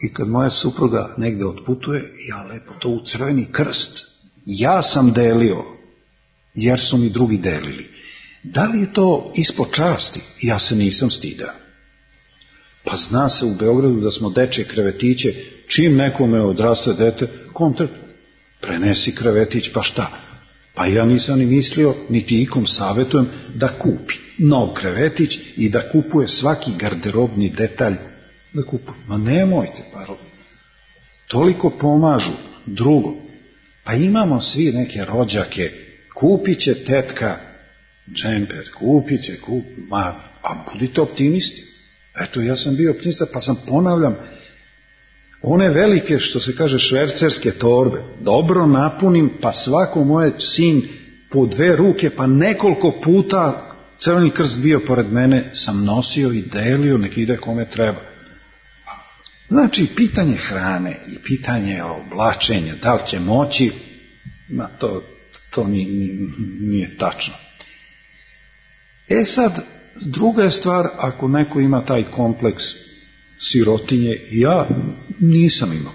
i kad moja supruga negde otputuje, ja lepo to u crveni krst. Ja sam delio, jer su mi drugi delili. Da li je to ispod časti? Ja se nisam stidao. Pa zna se u Beogradu da smo dečje krevetiće, čim nekome odraste dete, kontakt, prenesi krevetić, pa šta? Pa ja nisam ni mislio, niti ikom savjetujem, da kupi nov krevetić i da kupuje svaki garderobni detalj, da kupuje. Ma nemojte, pa toliko pomažu. Drugo, pa imamo svi neke rođake, kupit će tetka džemper, kupit će, kup, ma, a budite optimisti. Eto, ja sam bio optimista, pa sam, ponavljam, one velike, što se kaže, švercerske torbe, dobro napunim, pa svako moje sin po dve ruke, pa nekoliko puta Crveni krst bio pored mene, sam nosio i delio, nek ide kome treba. Znači, pitanje hrane i pitanje oblačenja, da li će moći, ma to, to nije, nije tačno. E sad, druga je stvar, ako neko ima taj kompleks sirotinje, ja nisam imao.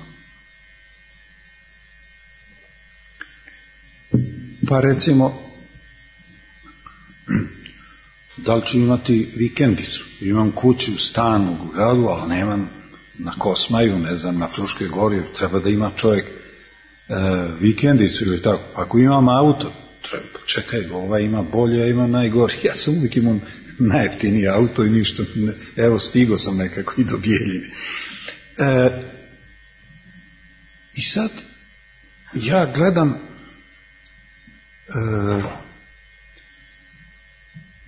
Pa recimo, da li ću imati vikendicu? Imam kuću, stan u gradu, ali nemam na Kosmaju, ne znam, na Fruškoj gori, treba da ima čovjek e, vikendicu ili tako. Ako imam auto, treba, čekaj, ovaj ima bolje, ja imam najgori. Ja sam uvijek imam najjeftiniji auto i ništa, ne, evo stigo sam nekako i do Bijeljine. E, I sad, ja gledam e,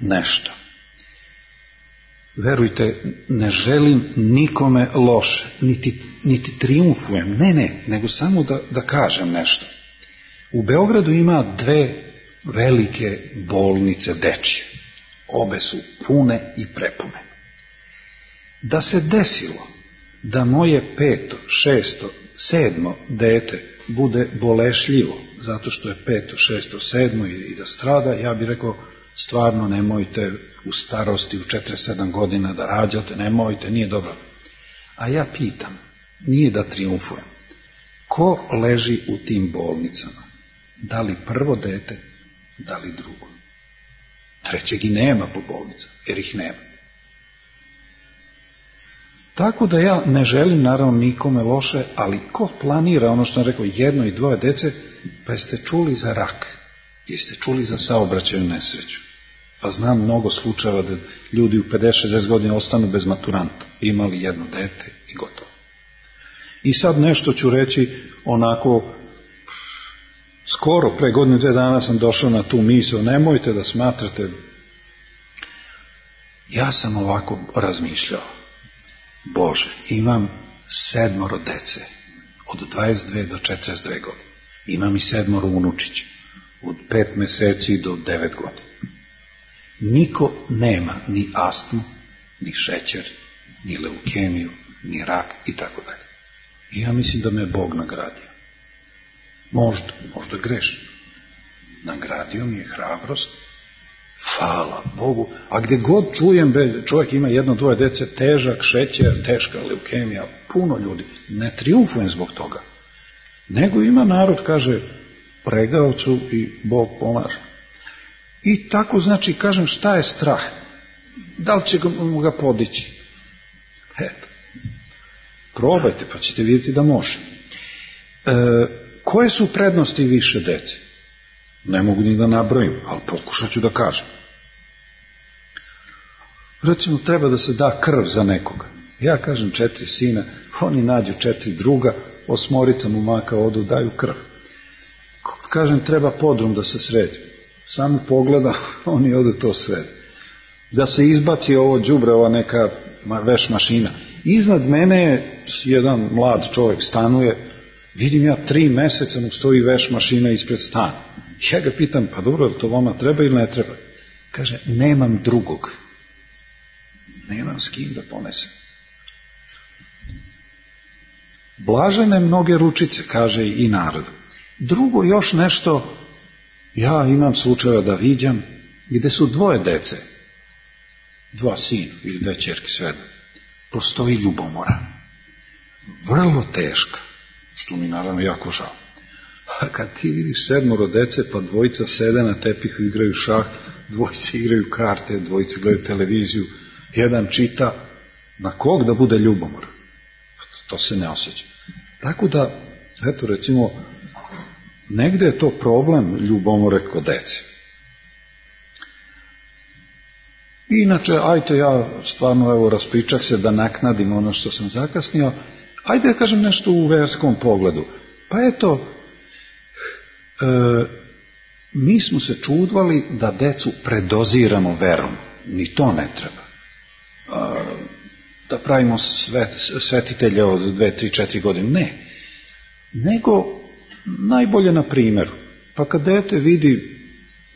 nešto. verujte, ne želim nikome loše, niti, niti triumfujem, ne, ne, nego samo da, da kažem nešto. U Beogradu ima dve velike bolnice dečje. Obe su pune i prepune. Da se desilo da moje peto, šesto, sedmo dete bude bolešljivo, zato što je peto, šesto, sedmo i da strada, ja bih rekao, stvarno nemojte u starosti, u četrdeset sedam godina da rađate, nemojte, nije dobro. A ja pitam, nije da triumfujem, ko leži u tim bolnicama? Da li prvo dete, da li drugo? Trećeg i nema po bolnicama, jer ih nema. Tako da ja ne želim naravno nikome loše, ali ko planira, ono što sam rekao, jedno i dvoje dece, pa jeste čuli za rak, jeste čuli za saobraćajnu nesreću. Pa znam mnogo slučajeva da ljudi u pedeset šezdeset godina ostanu bez maturanta, imali jedno dete i gotovo. I sad nešto ću reći onako, skoro pre godinu dve dana sam došao na tu misao, nemojte da smatrate, ja sam ovako razmišljao, Bože, imam sedmoro dece, od dvadeset dve do četrdeset dve godine, imam i sedmoro unučića, od pet meseci do devet godina. Niko nema ni astmu, ni šećer, ni leukemiju, ni rak i tako dalje. I ja mislim da me Bog nagradio. Možda, možda grešno. Nagradio mi je hrabrost, hvala Bogu, a gde god čujem, čovjek ima jedno, dvoje dece, težak šećer, teška leukemija, puno ljudi, ne triumfujem zbog toga. Nego ima narod, kaže, pregavcu i Bog pomaže. I tako, znači, kažem, šta je strah? Da li će ga podići? Eto. Probajte, pa ćete vidjeti da može. E, koje su prednosti više dece? Ne mogu ni da nabrojim, ali pokušat ću da kažem. Recimo, treba da se da krv za nekoga. Ja kažem četiri sina, oni nađu četiri druga, osmorica momaka odu, daju krv. Kažem, treba podrum da se sredi. Samo pogleda, oni odu to sredi. Da se izbaci ovo đubre, ova neka veš mašina. Iznad mene je jedan mlad čovjek stanuje, vidim ja tri meseca mu stoji veš mašina ispred stana. Ja ga pitam, pa dobro, to vama treba ili ne treba? Kaže, nemam drugog. Nemam s kim da ponesem. Blažene mnoge ručice, kaže i narod. Drugo još nešto, ja imam slučajeva da viđam, gde su dvoje dece, dva sina ili dve ćerke, svejedno, postoji ljubomora. Vrlo teška, što mi naravno jako žao. A kad ti vidiš sedmoro dece, pa dvojica sede na tepihu, igraju šah, dvojica igraju karte, dvojica gledaju televiziju, jedan čita, na kog da bude ljubomor? To se ne osjeća. Tako da, eto recimo, negde je to problem ljubomore kod dece. Inače, ajte ja stvarno evo raspričak se da naknadim ono što sam zakasnio, ajde da kažem nešto u verskom pogledu. Pa eto, e, mi smo se čudvali da decu predoziramo verom. Ni to ne treba. E, da pravimo svet, svetitelje od dve, tri, četiri godine. Ne. Nego najbolje na primjeru. Pa kad dete vidi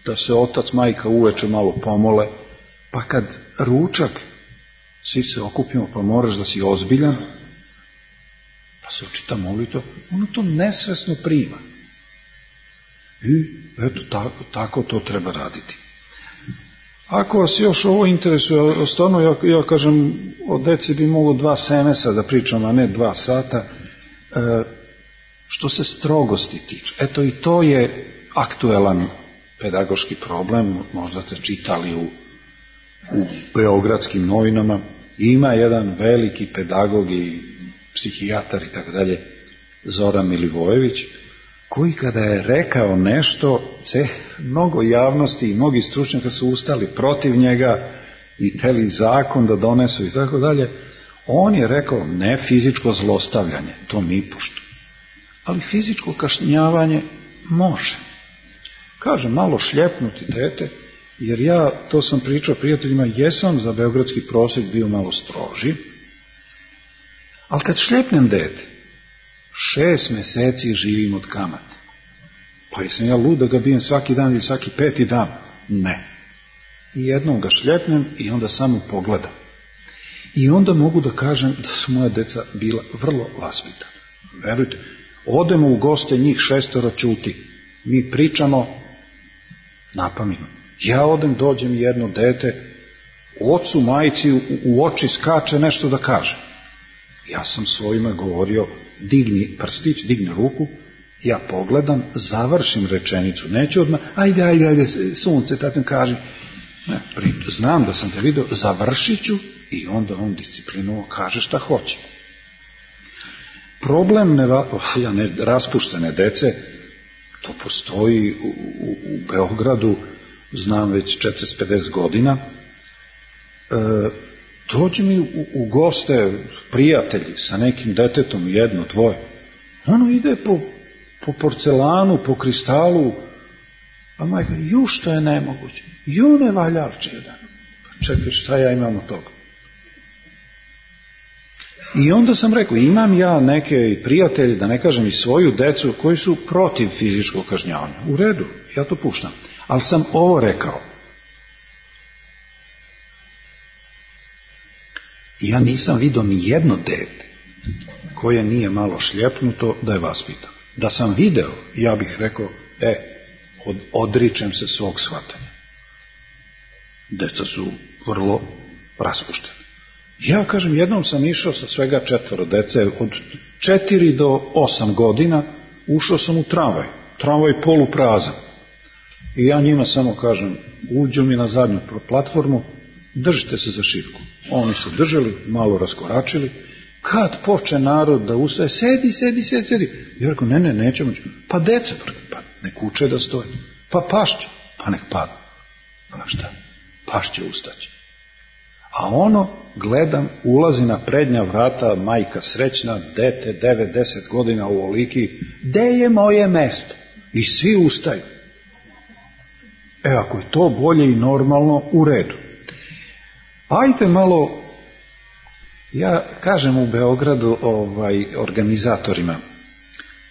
da se otac, majka uveče malo pomole, pa kad ručak svi se okupimo, pa moraš da si ozbiljan, pa se očita molitva, ono to nesvesno prima. I eto, tako, tako to treba raditi. Ako vas još ovo interesuje, stvarno ja, ja kažem, od dece bi mogo dva semesa da pričam, a ne dva sata, e, što se strogosti tiče. Eto i to je aktuelan pedagoški problem, možda ste čitali u, u beogradskim novinama. Ima jedan veliki pedagog i psihijatar i tako dalje, Zoran Milivojević, koji kada je rekao nešto, ce, mnogo javnosti i mnogi stručnjaka su ustali protiv njega i teli zakon da donesu i tako dalje. On je rekao, ne fizičko zlostavljanje, to ni pošto. Ali fizičko kažnjavanje može. Kaže, malo šljepnuti dete jer ja, to sam pričao prijateljima, jesam za beogradski prosjek bio malo stroži, ali kad šljepnem dete, šest meseci živim od kamate. Pa jesam ja lud da ga bijem svaki dan ili svaki peti dan? Ne. I jednom ga šljepnem i onda samo pogledam. I onda mogu da kažem da su moja deca bila vrlo vaspitana. Verujte, odemo u goste, njih šestoro ćuti. Mi pričamo napamet. Ja odem, dođem jedno dete, ocu, majici u, u oči skače nešto da kaže. Ja sam svojima govorio, digni prstić, digni ruku, ja pogledam, završim rečenicu, neću odmah, ajde, ajde, ajde, sunce, tatim kaži. Ne, znam da sam te vidio, završit ću i onda on disciplinovo kaže šta hoće. Problem ne, ja ne, raspuštene dece, to postoji u, u, u Beogradu, znam već četrdeset pedeset godina. E, dođe mi u, u goste prijatelji sa nekim detetom, jedno, dvoje. Ono ide po, po porcelanu, po kristalu, a majka, ju što je nemoguće, ju ne valjarče jedan. Pa čekaj, šta ja imam od toga? I onda sam rekao, imam ja neke prijatelje, da ne kažem i svoju decu, koji su protiv fizičkog kažnjavanja. U redu, ja to puštam. Ali sam ovo rekao. Ja nisam vidio ni jedno dete koje nije malo šljepnuto da je vaspitano. Da sam video, ja bih rekao, e, od, odričem se svog shvatanja. Deca su vrlo raspuštena. Ja kažem, jednom sam išao sa svega četvoro dece, od četiri do osam godina, ušao sam u tramvaj. Tramvaj poluprazan. I ja njima samo kažem, uđu mi na zadnju platformu, držite se za šipku. Oni su držali, malo raskoračili. Kad poče narod da ustaje, sedi, sedi, sedi, sedi. Ja rekao, ne, ne, nećemo. Pa deca, pa nek uče da stoje. Pa pašće, pa nek pada. Pa šta? Pašće ustaće. A ono, gledam, ulazi na prednja vrata, majka srećna, dete, devet, deset godina u oliki, gde je moje mesto? I svi ustaju. E, ako je to bolje i normalno, u redu. Ajde malo, ja kažem u Beogradu ovaj, organizatorima,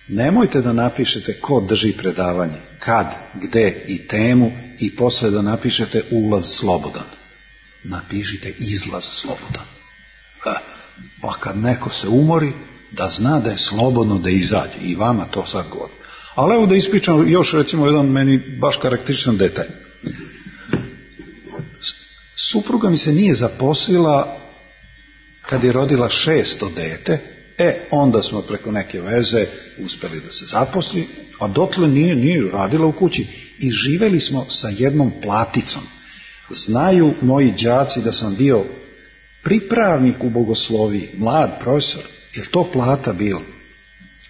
nemojte da napišete ko drži predavanje, kad, gde i temu i posle da napišete ulaz slobodan. Napišite izlaz slobodan. Pa kad neko se umori, da zna da je slobodno da izađe. I vama to sad govori. Ali evo da ispričam još recimo jedan meni baš karakterističan detalj. Supruga mi se nije zaposlila kad je rodila šesto dete, e onda smo preko neke veze uspeli da se zaposli, a dotle nije, nije radila u kući. I živeli smo sa jednom platicom. Znaju moji đaci da sam bio pripravnik u bogosloviji, mlad profesor, jer to plata bilo.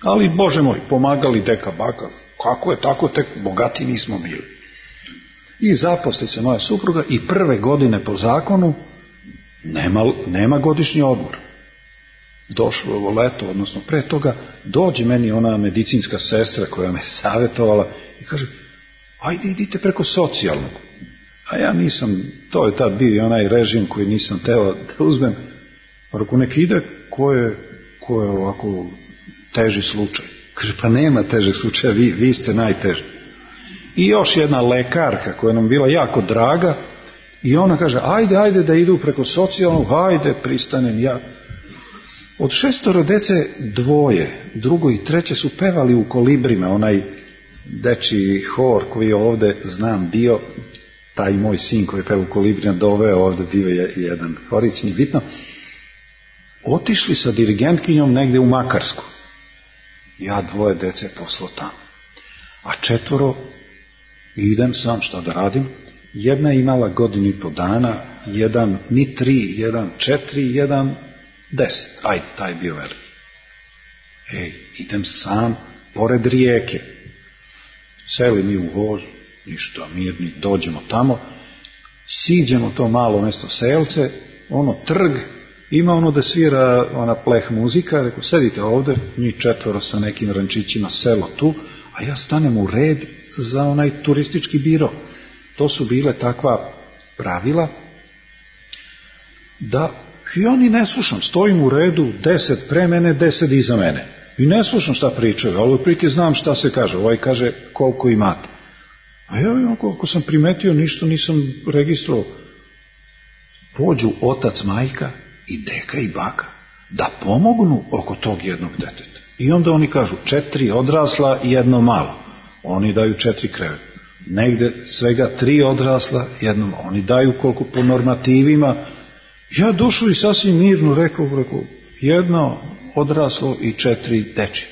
Ali, Bože moj, pomagali deka baka, kako je tako, tek bogati nismo bili. I zaposli se moja supruga i prve godine po zakonu nema, nema godišnji odmor. Došlo ovo leto, odnosno pre toga, dođe meni ona medicinska sestra koja me savjetovala i kaže, ajde idite preko socijalnog. A ja nisam, to je tad bio onaj režim koji nisam teo da uzmem. Ako nek ide, ko je, ko je ovako teži slučaj? Kaže, pa nema težeg slučaja, vi, vi ste najteži. I još jedna lekarka koja nam bila jako draga i ona kaže, ajde, ajde da idu preko socijalnog, ajde, pristanem ja. Od šestoro dece dvoje, drugo i treće su pevali u Kolibrima, onaj dečiji hor koji je ovde, znam, bio, taj moj sin koji je peo u Kolibrima doveo ovde, bio je jedan horić, nije bitno. Otišli sa dirigentkinjom negde u Makarsku. Ja dvoje dece poslao tamo. A četvoro idem sam, šta da radim. Jedna je imala godinu i po dana, jedan ni tri, jedan četiri, jedan deset. Ajde, taj je bio veliki. Ej, idem sam pored rijeke. Seli mi u voz, ništa, mirni, dođemo tamo, siđemo to malo mesto selce, ono trg, ima ono da svira ona pleh muzika, rekao, sedite ovde, njih četvoro sa nekim rančićima, selo tu, a ja stanem u red za onaj turistički biro. To su bile takva pravila da ja ni ne slušam, stojim u redu, deset pre mene, deset iza mene. I ne slušam šta pričaju, ali otprilike znam šta se kaže. Ovaj kaže koliko imate. A ja koliko sam primetio, ništa nisam registrovao. Pođu otac, majka i deka i baka da pomognu oko tog jednog deteta. I onda oni kažu četiri odrasla i jedno malo. Oni daju četiri kreveta. Negde svega tri odrasla, jedno malo. Oni daju koliko po normativima. Ja došao i sasvim mirno rekao, rekao jedno odraslo i četiri deči.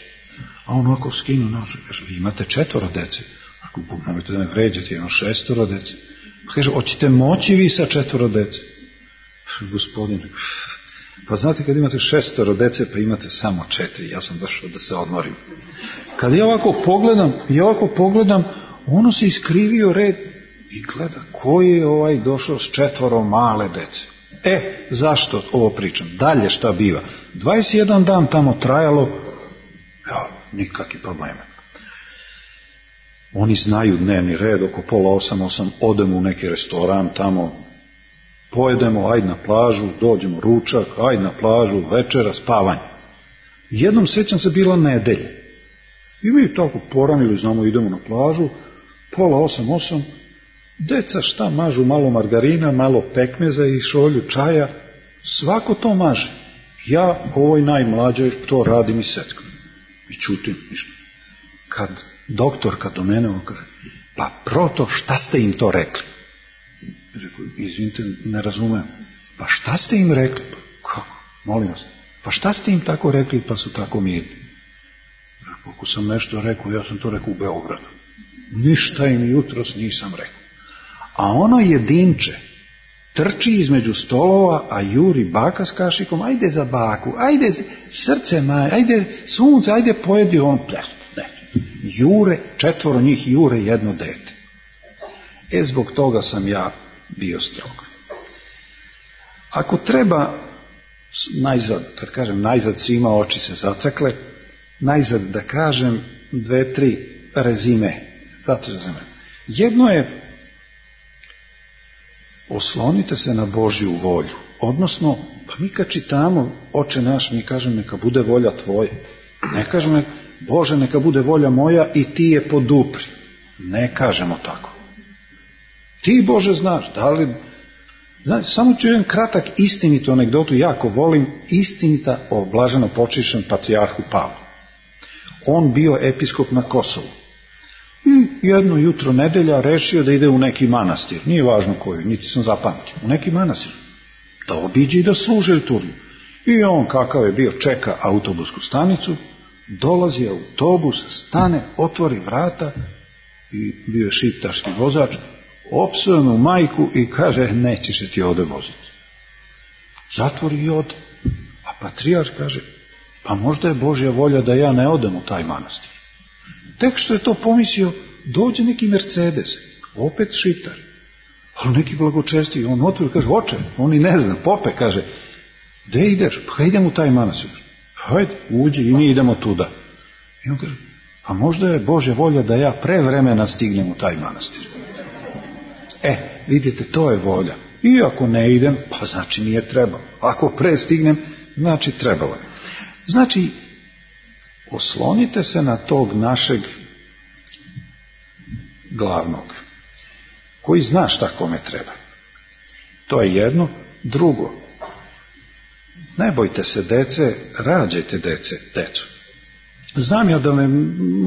A on ovako skinu nož, kaže, vi imate četvoro dece. Ako nemojte da me vređate, imam šestoro dece. Kaže, hoćete moći vi sa četvoro dece? Gospodine, pa znate kad imate šestoro dece, pa imate samo četiri, ja sam došao da se odmorim. Kad ja ovako pogledam, ja ovako pogledam, ono se iskrivio red i gleda, ko je ovaj došao s četvoro male dece? E, zašto ovo pričam? Dalje šta biva? dvadeset jedan dan tamo trajalo, ja, nikakvi problema. Oni znaju dnevni red, oko pola osam, osam, odemo u neki restoran tamo, pojedemo, ajde na plažu, dođemo ručak, ajde na plažu, večera, spavanje. Jednom sećam se bila nedelja. I mi tako poranili, znamo, idemo na plažu, pola osam, osam, deca šta mažu, malo margarina, malo pekmeza i šolju čaja, svako to maže. Ja, ovoj najmlađoj, to radim i seckam. I čutim ništa. Kad doktorka do mene kaže, pa proto, šta ste im to rekli? Rekao, izvinite, ne razumem. Pa šta ste im rekli? Pa, kako? Molim vas. Pa šta ste im tako rekli, pa su tako mirni? Rekao, ako sam nešto rekao, ja sam to rekao u Beogradu. Ništa im jutros nisam rekao. A ono jedinče trči između stolova, a juri baka s kašikom, ajde za baku, ajde srce maj, ajde sunce, ajde pojedi on. Ne, ne. Jure, četvoro njih jure jedno dete. E, zbog toga sam ja bio strog. Ako treba, najzad, kad kažem najzad, svima oči se zacakle, najzad da kažem dve, tri rezime. Znate rezime. Jedno je, oslonite se na Božju volju. Odnosno, pa mi kad čitamo Oče naš, mi kažem neka bude volja tvoja. Ne kažemo, Bože, neka bude volja moja i ti je podupri. Ne kažemo tako. Ti, Bože, znaš, da li... Znači, samo ću jedan kratak istinitu anegdotu, jako volim, istinita o blaženo počišćenom patrijarhu Pavlu. On bio episkop na Kosovu. I jedno jutro nedelja rešio da ide u neki manastir. Nije važno koji, niti sam zapamtio. U neki manastir. Da obiđe i da služe liturgiju. I on, kakav je bio, čeka autobusku stanicu, dolazi autobus, stane, otvori vrata i bio je šiptarski vozač, opsuje mu majku i kaže, nećeš se ti ovde voziti. Zatvori i ode. A patrijarh kaže, pa možda je Božja volja da ja ne odem u taj manastir. Tek što je to pomislio, dođe neki Mercedes, opet šiptar, ali neki blagočesti, on otvori, kaže, oče, on i ne zna, pope, kaže, gde ideš? Pa idem u taj manastir. Hajde, uđi i mi idemo tuda. I on kaže, pa možda je Božja volja da ja pre vremena stignem u taj manastir. E, vidite, to je volja. I ako ne idem, pa znači nije trebalo. Ako pre stignem, znači trebalo je. Znači, oslonite se na tog našeg glavnog, koji zna šta kome treba. To je jedno. Drugo, ne bojte se dece, rađajte dece, decu. Znam ja da me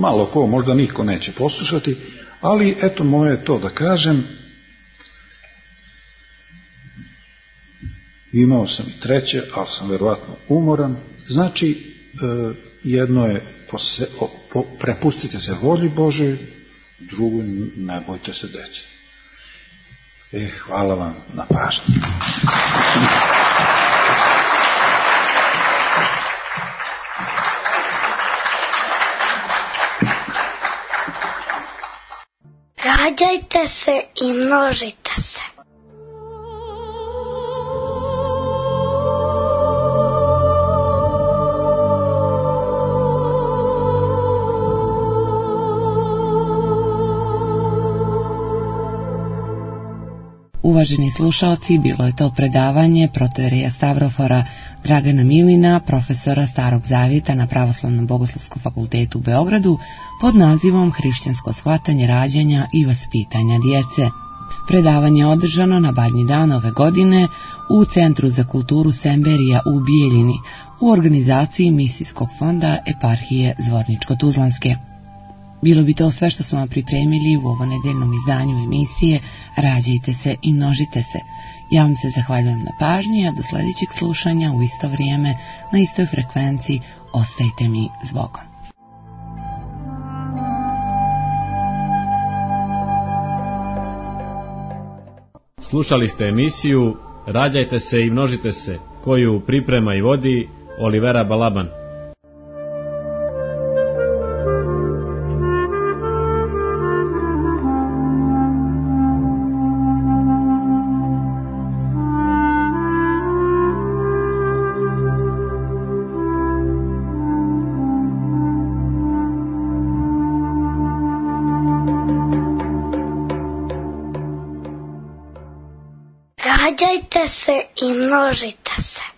malo ko, možda niko neće poslušati, ali eto moje je to da kažem. Imao sam i treće, ali sam verovatno umoran. Znači, jedno je pose, po, prepustite se volji Božoj, drugo, ne bojte se dece. E, hvala vam na pažnji. Rađajte se i množite se. Uvaženi slušaoci, bilo je to predavanje protoijereja Stavrofora Dragana Milina, profesora Starog Zavjeta na Pravoslavnom bogoslovskom fakultetu u Beogradu, pod nazivom Hrišćansko shvatanje rađanja i vaspitanja djece. Predavanje je održano na Badnji dan ove godine u Centru za kulturu Semberija u Bijeljini u organizaciji Misijskog fonda Eparhije Zvorničko-Tuzlanske. Bilo bi to sve što smo vam pripremili u ovo nedeljnom izdanju emisije Rađajte se i množite se. Ja vam se zahvaljujem na pažnji, a do sljedećeg slušanja u isto vrijeme na istoj frekvenciji ostajte mi s Bogom. Slušali ste emisiju Rađajte se i množite se, koju priprema i vodi Olivera Balaban. Rađajte se i množite se.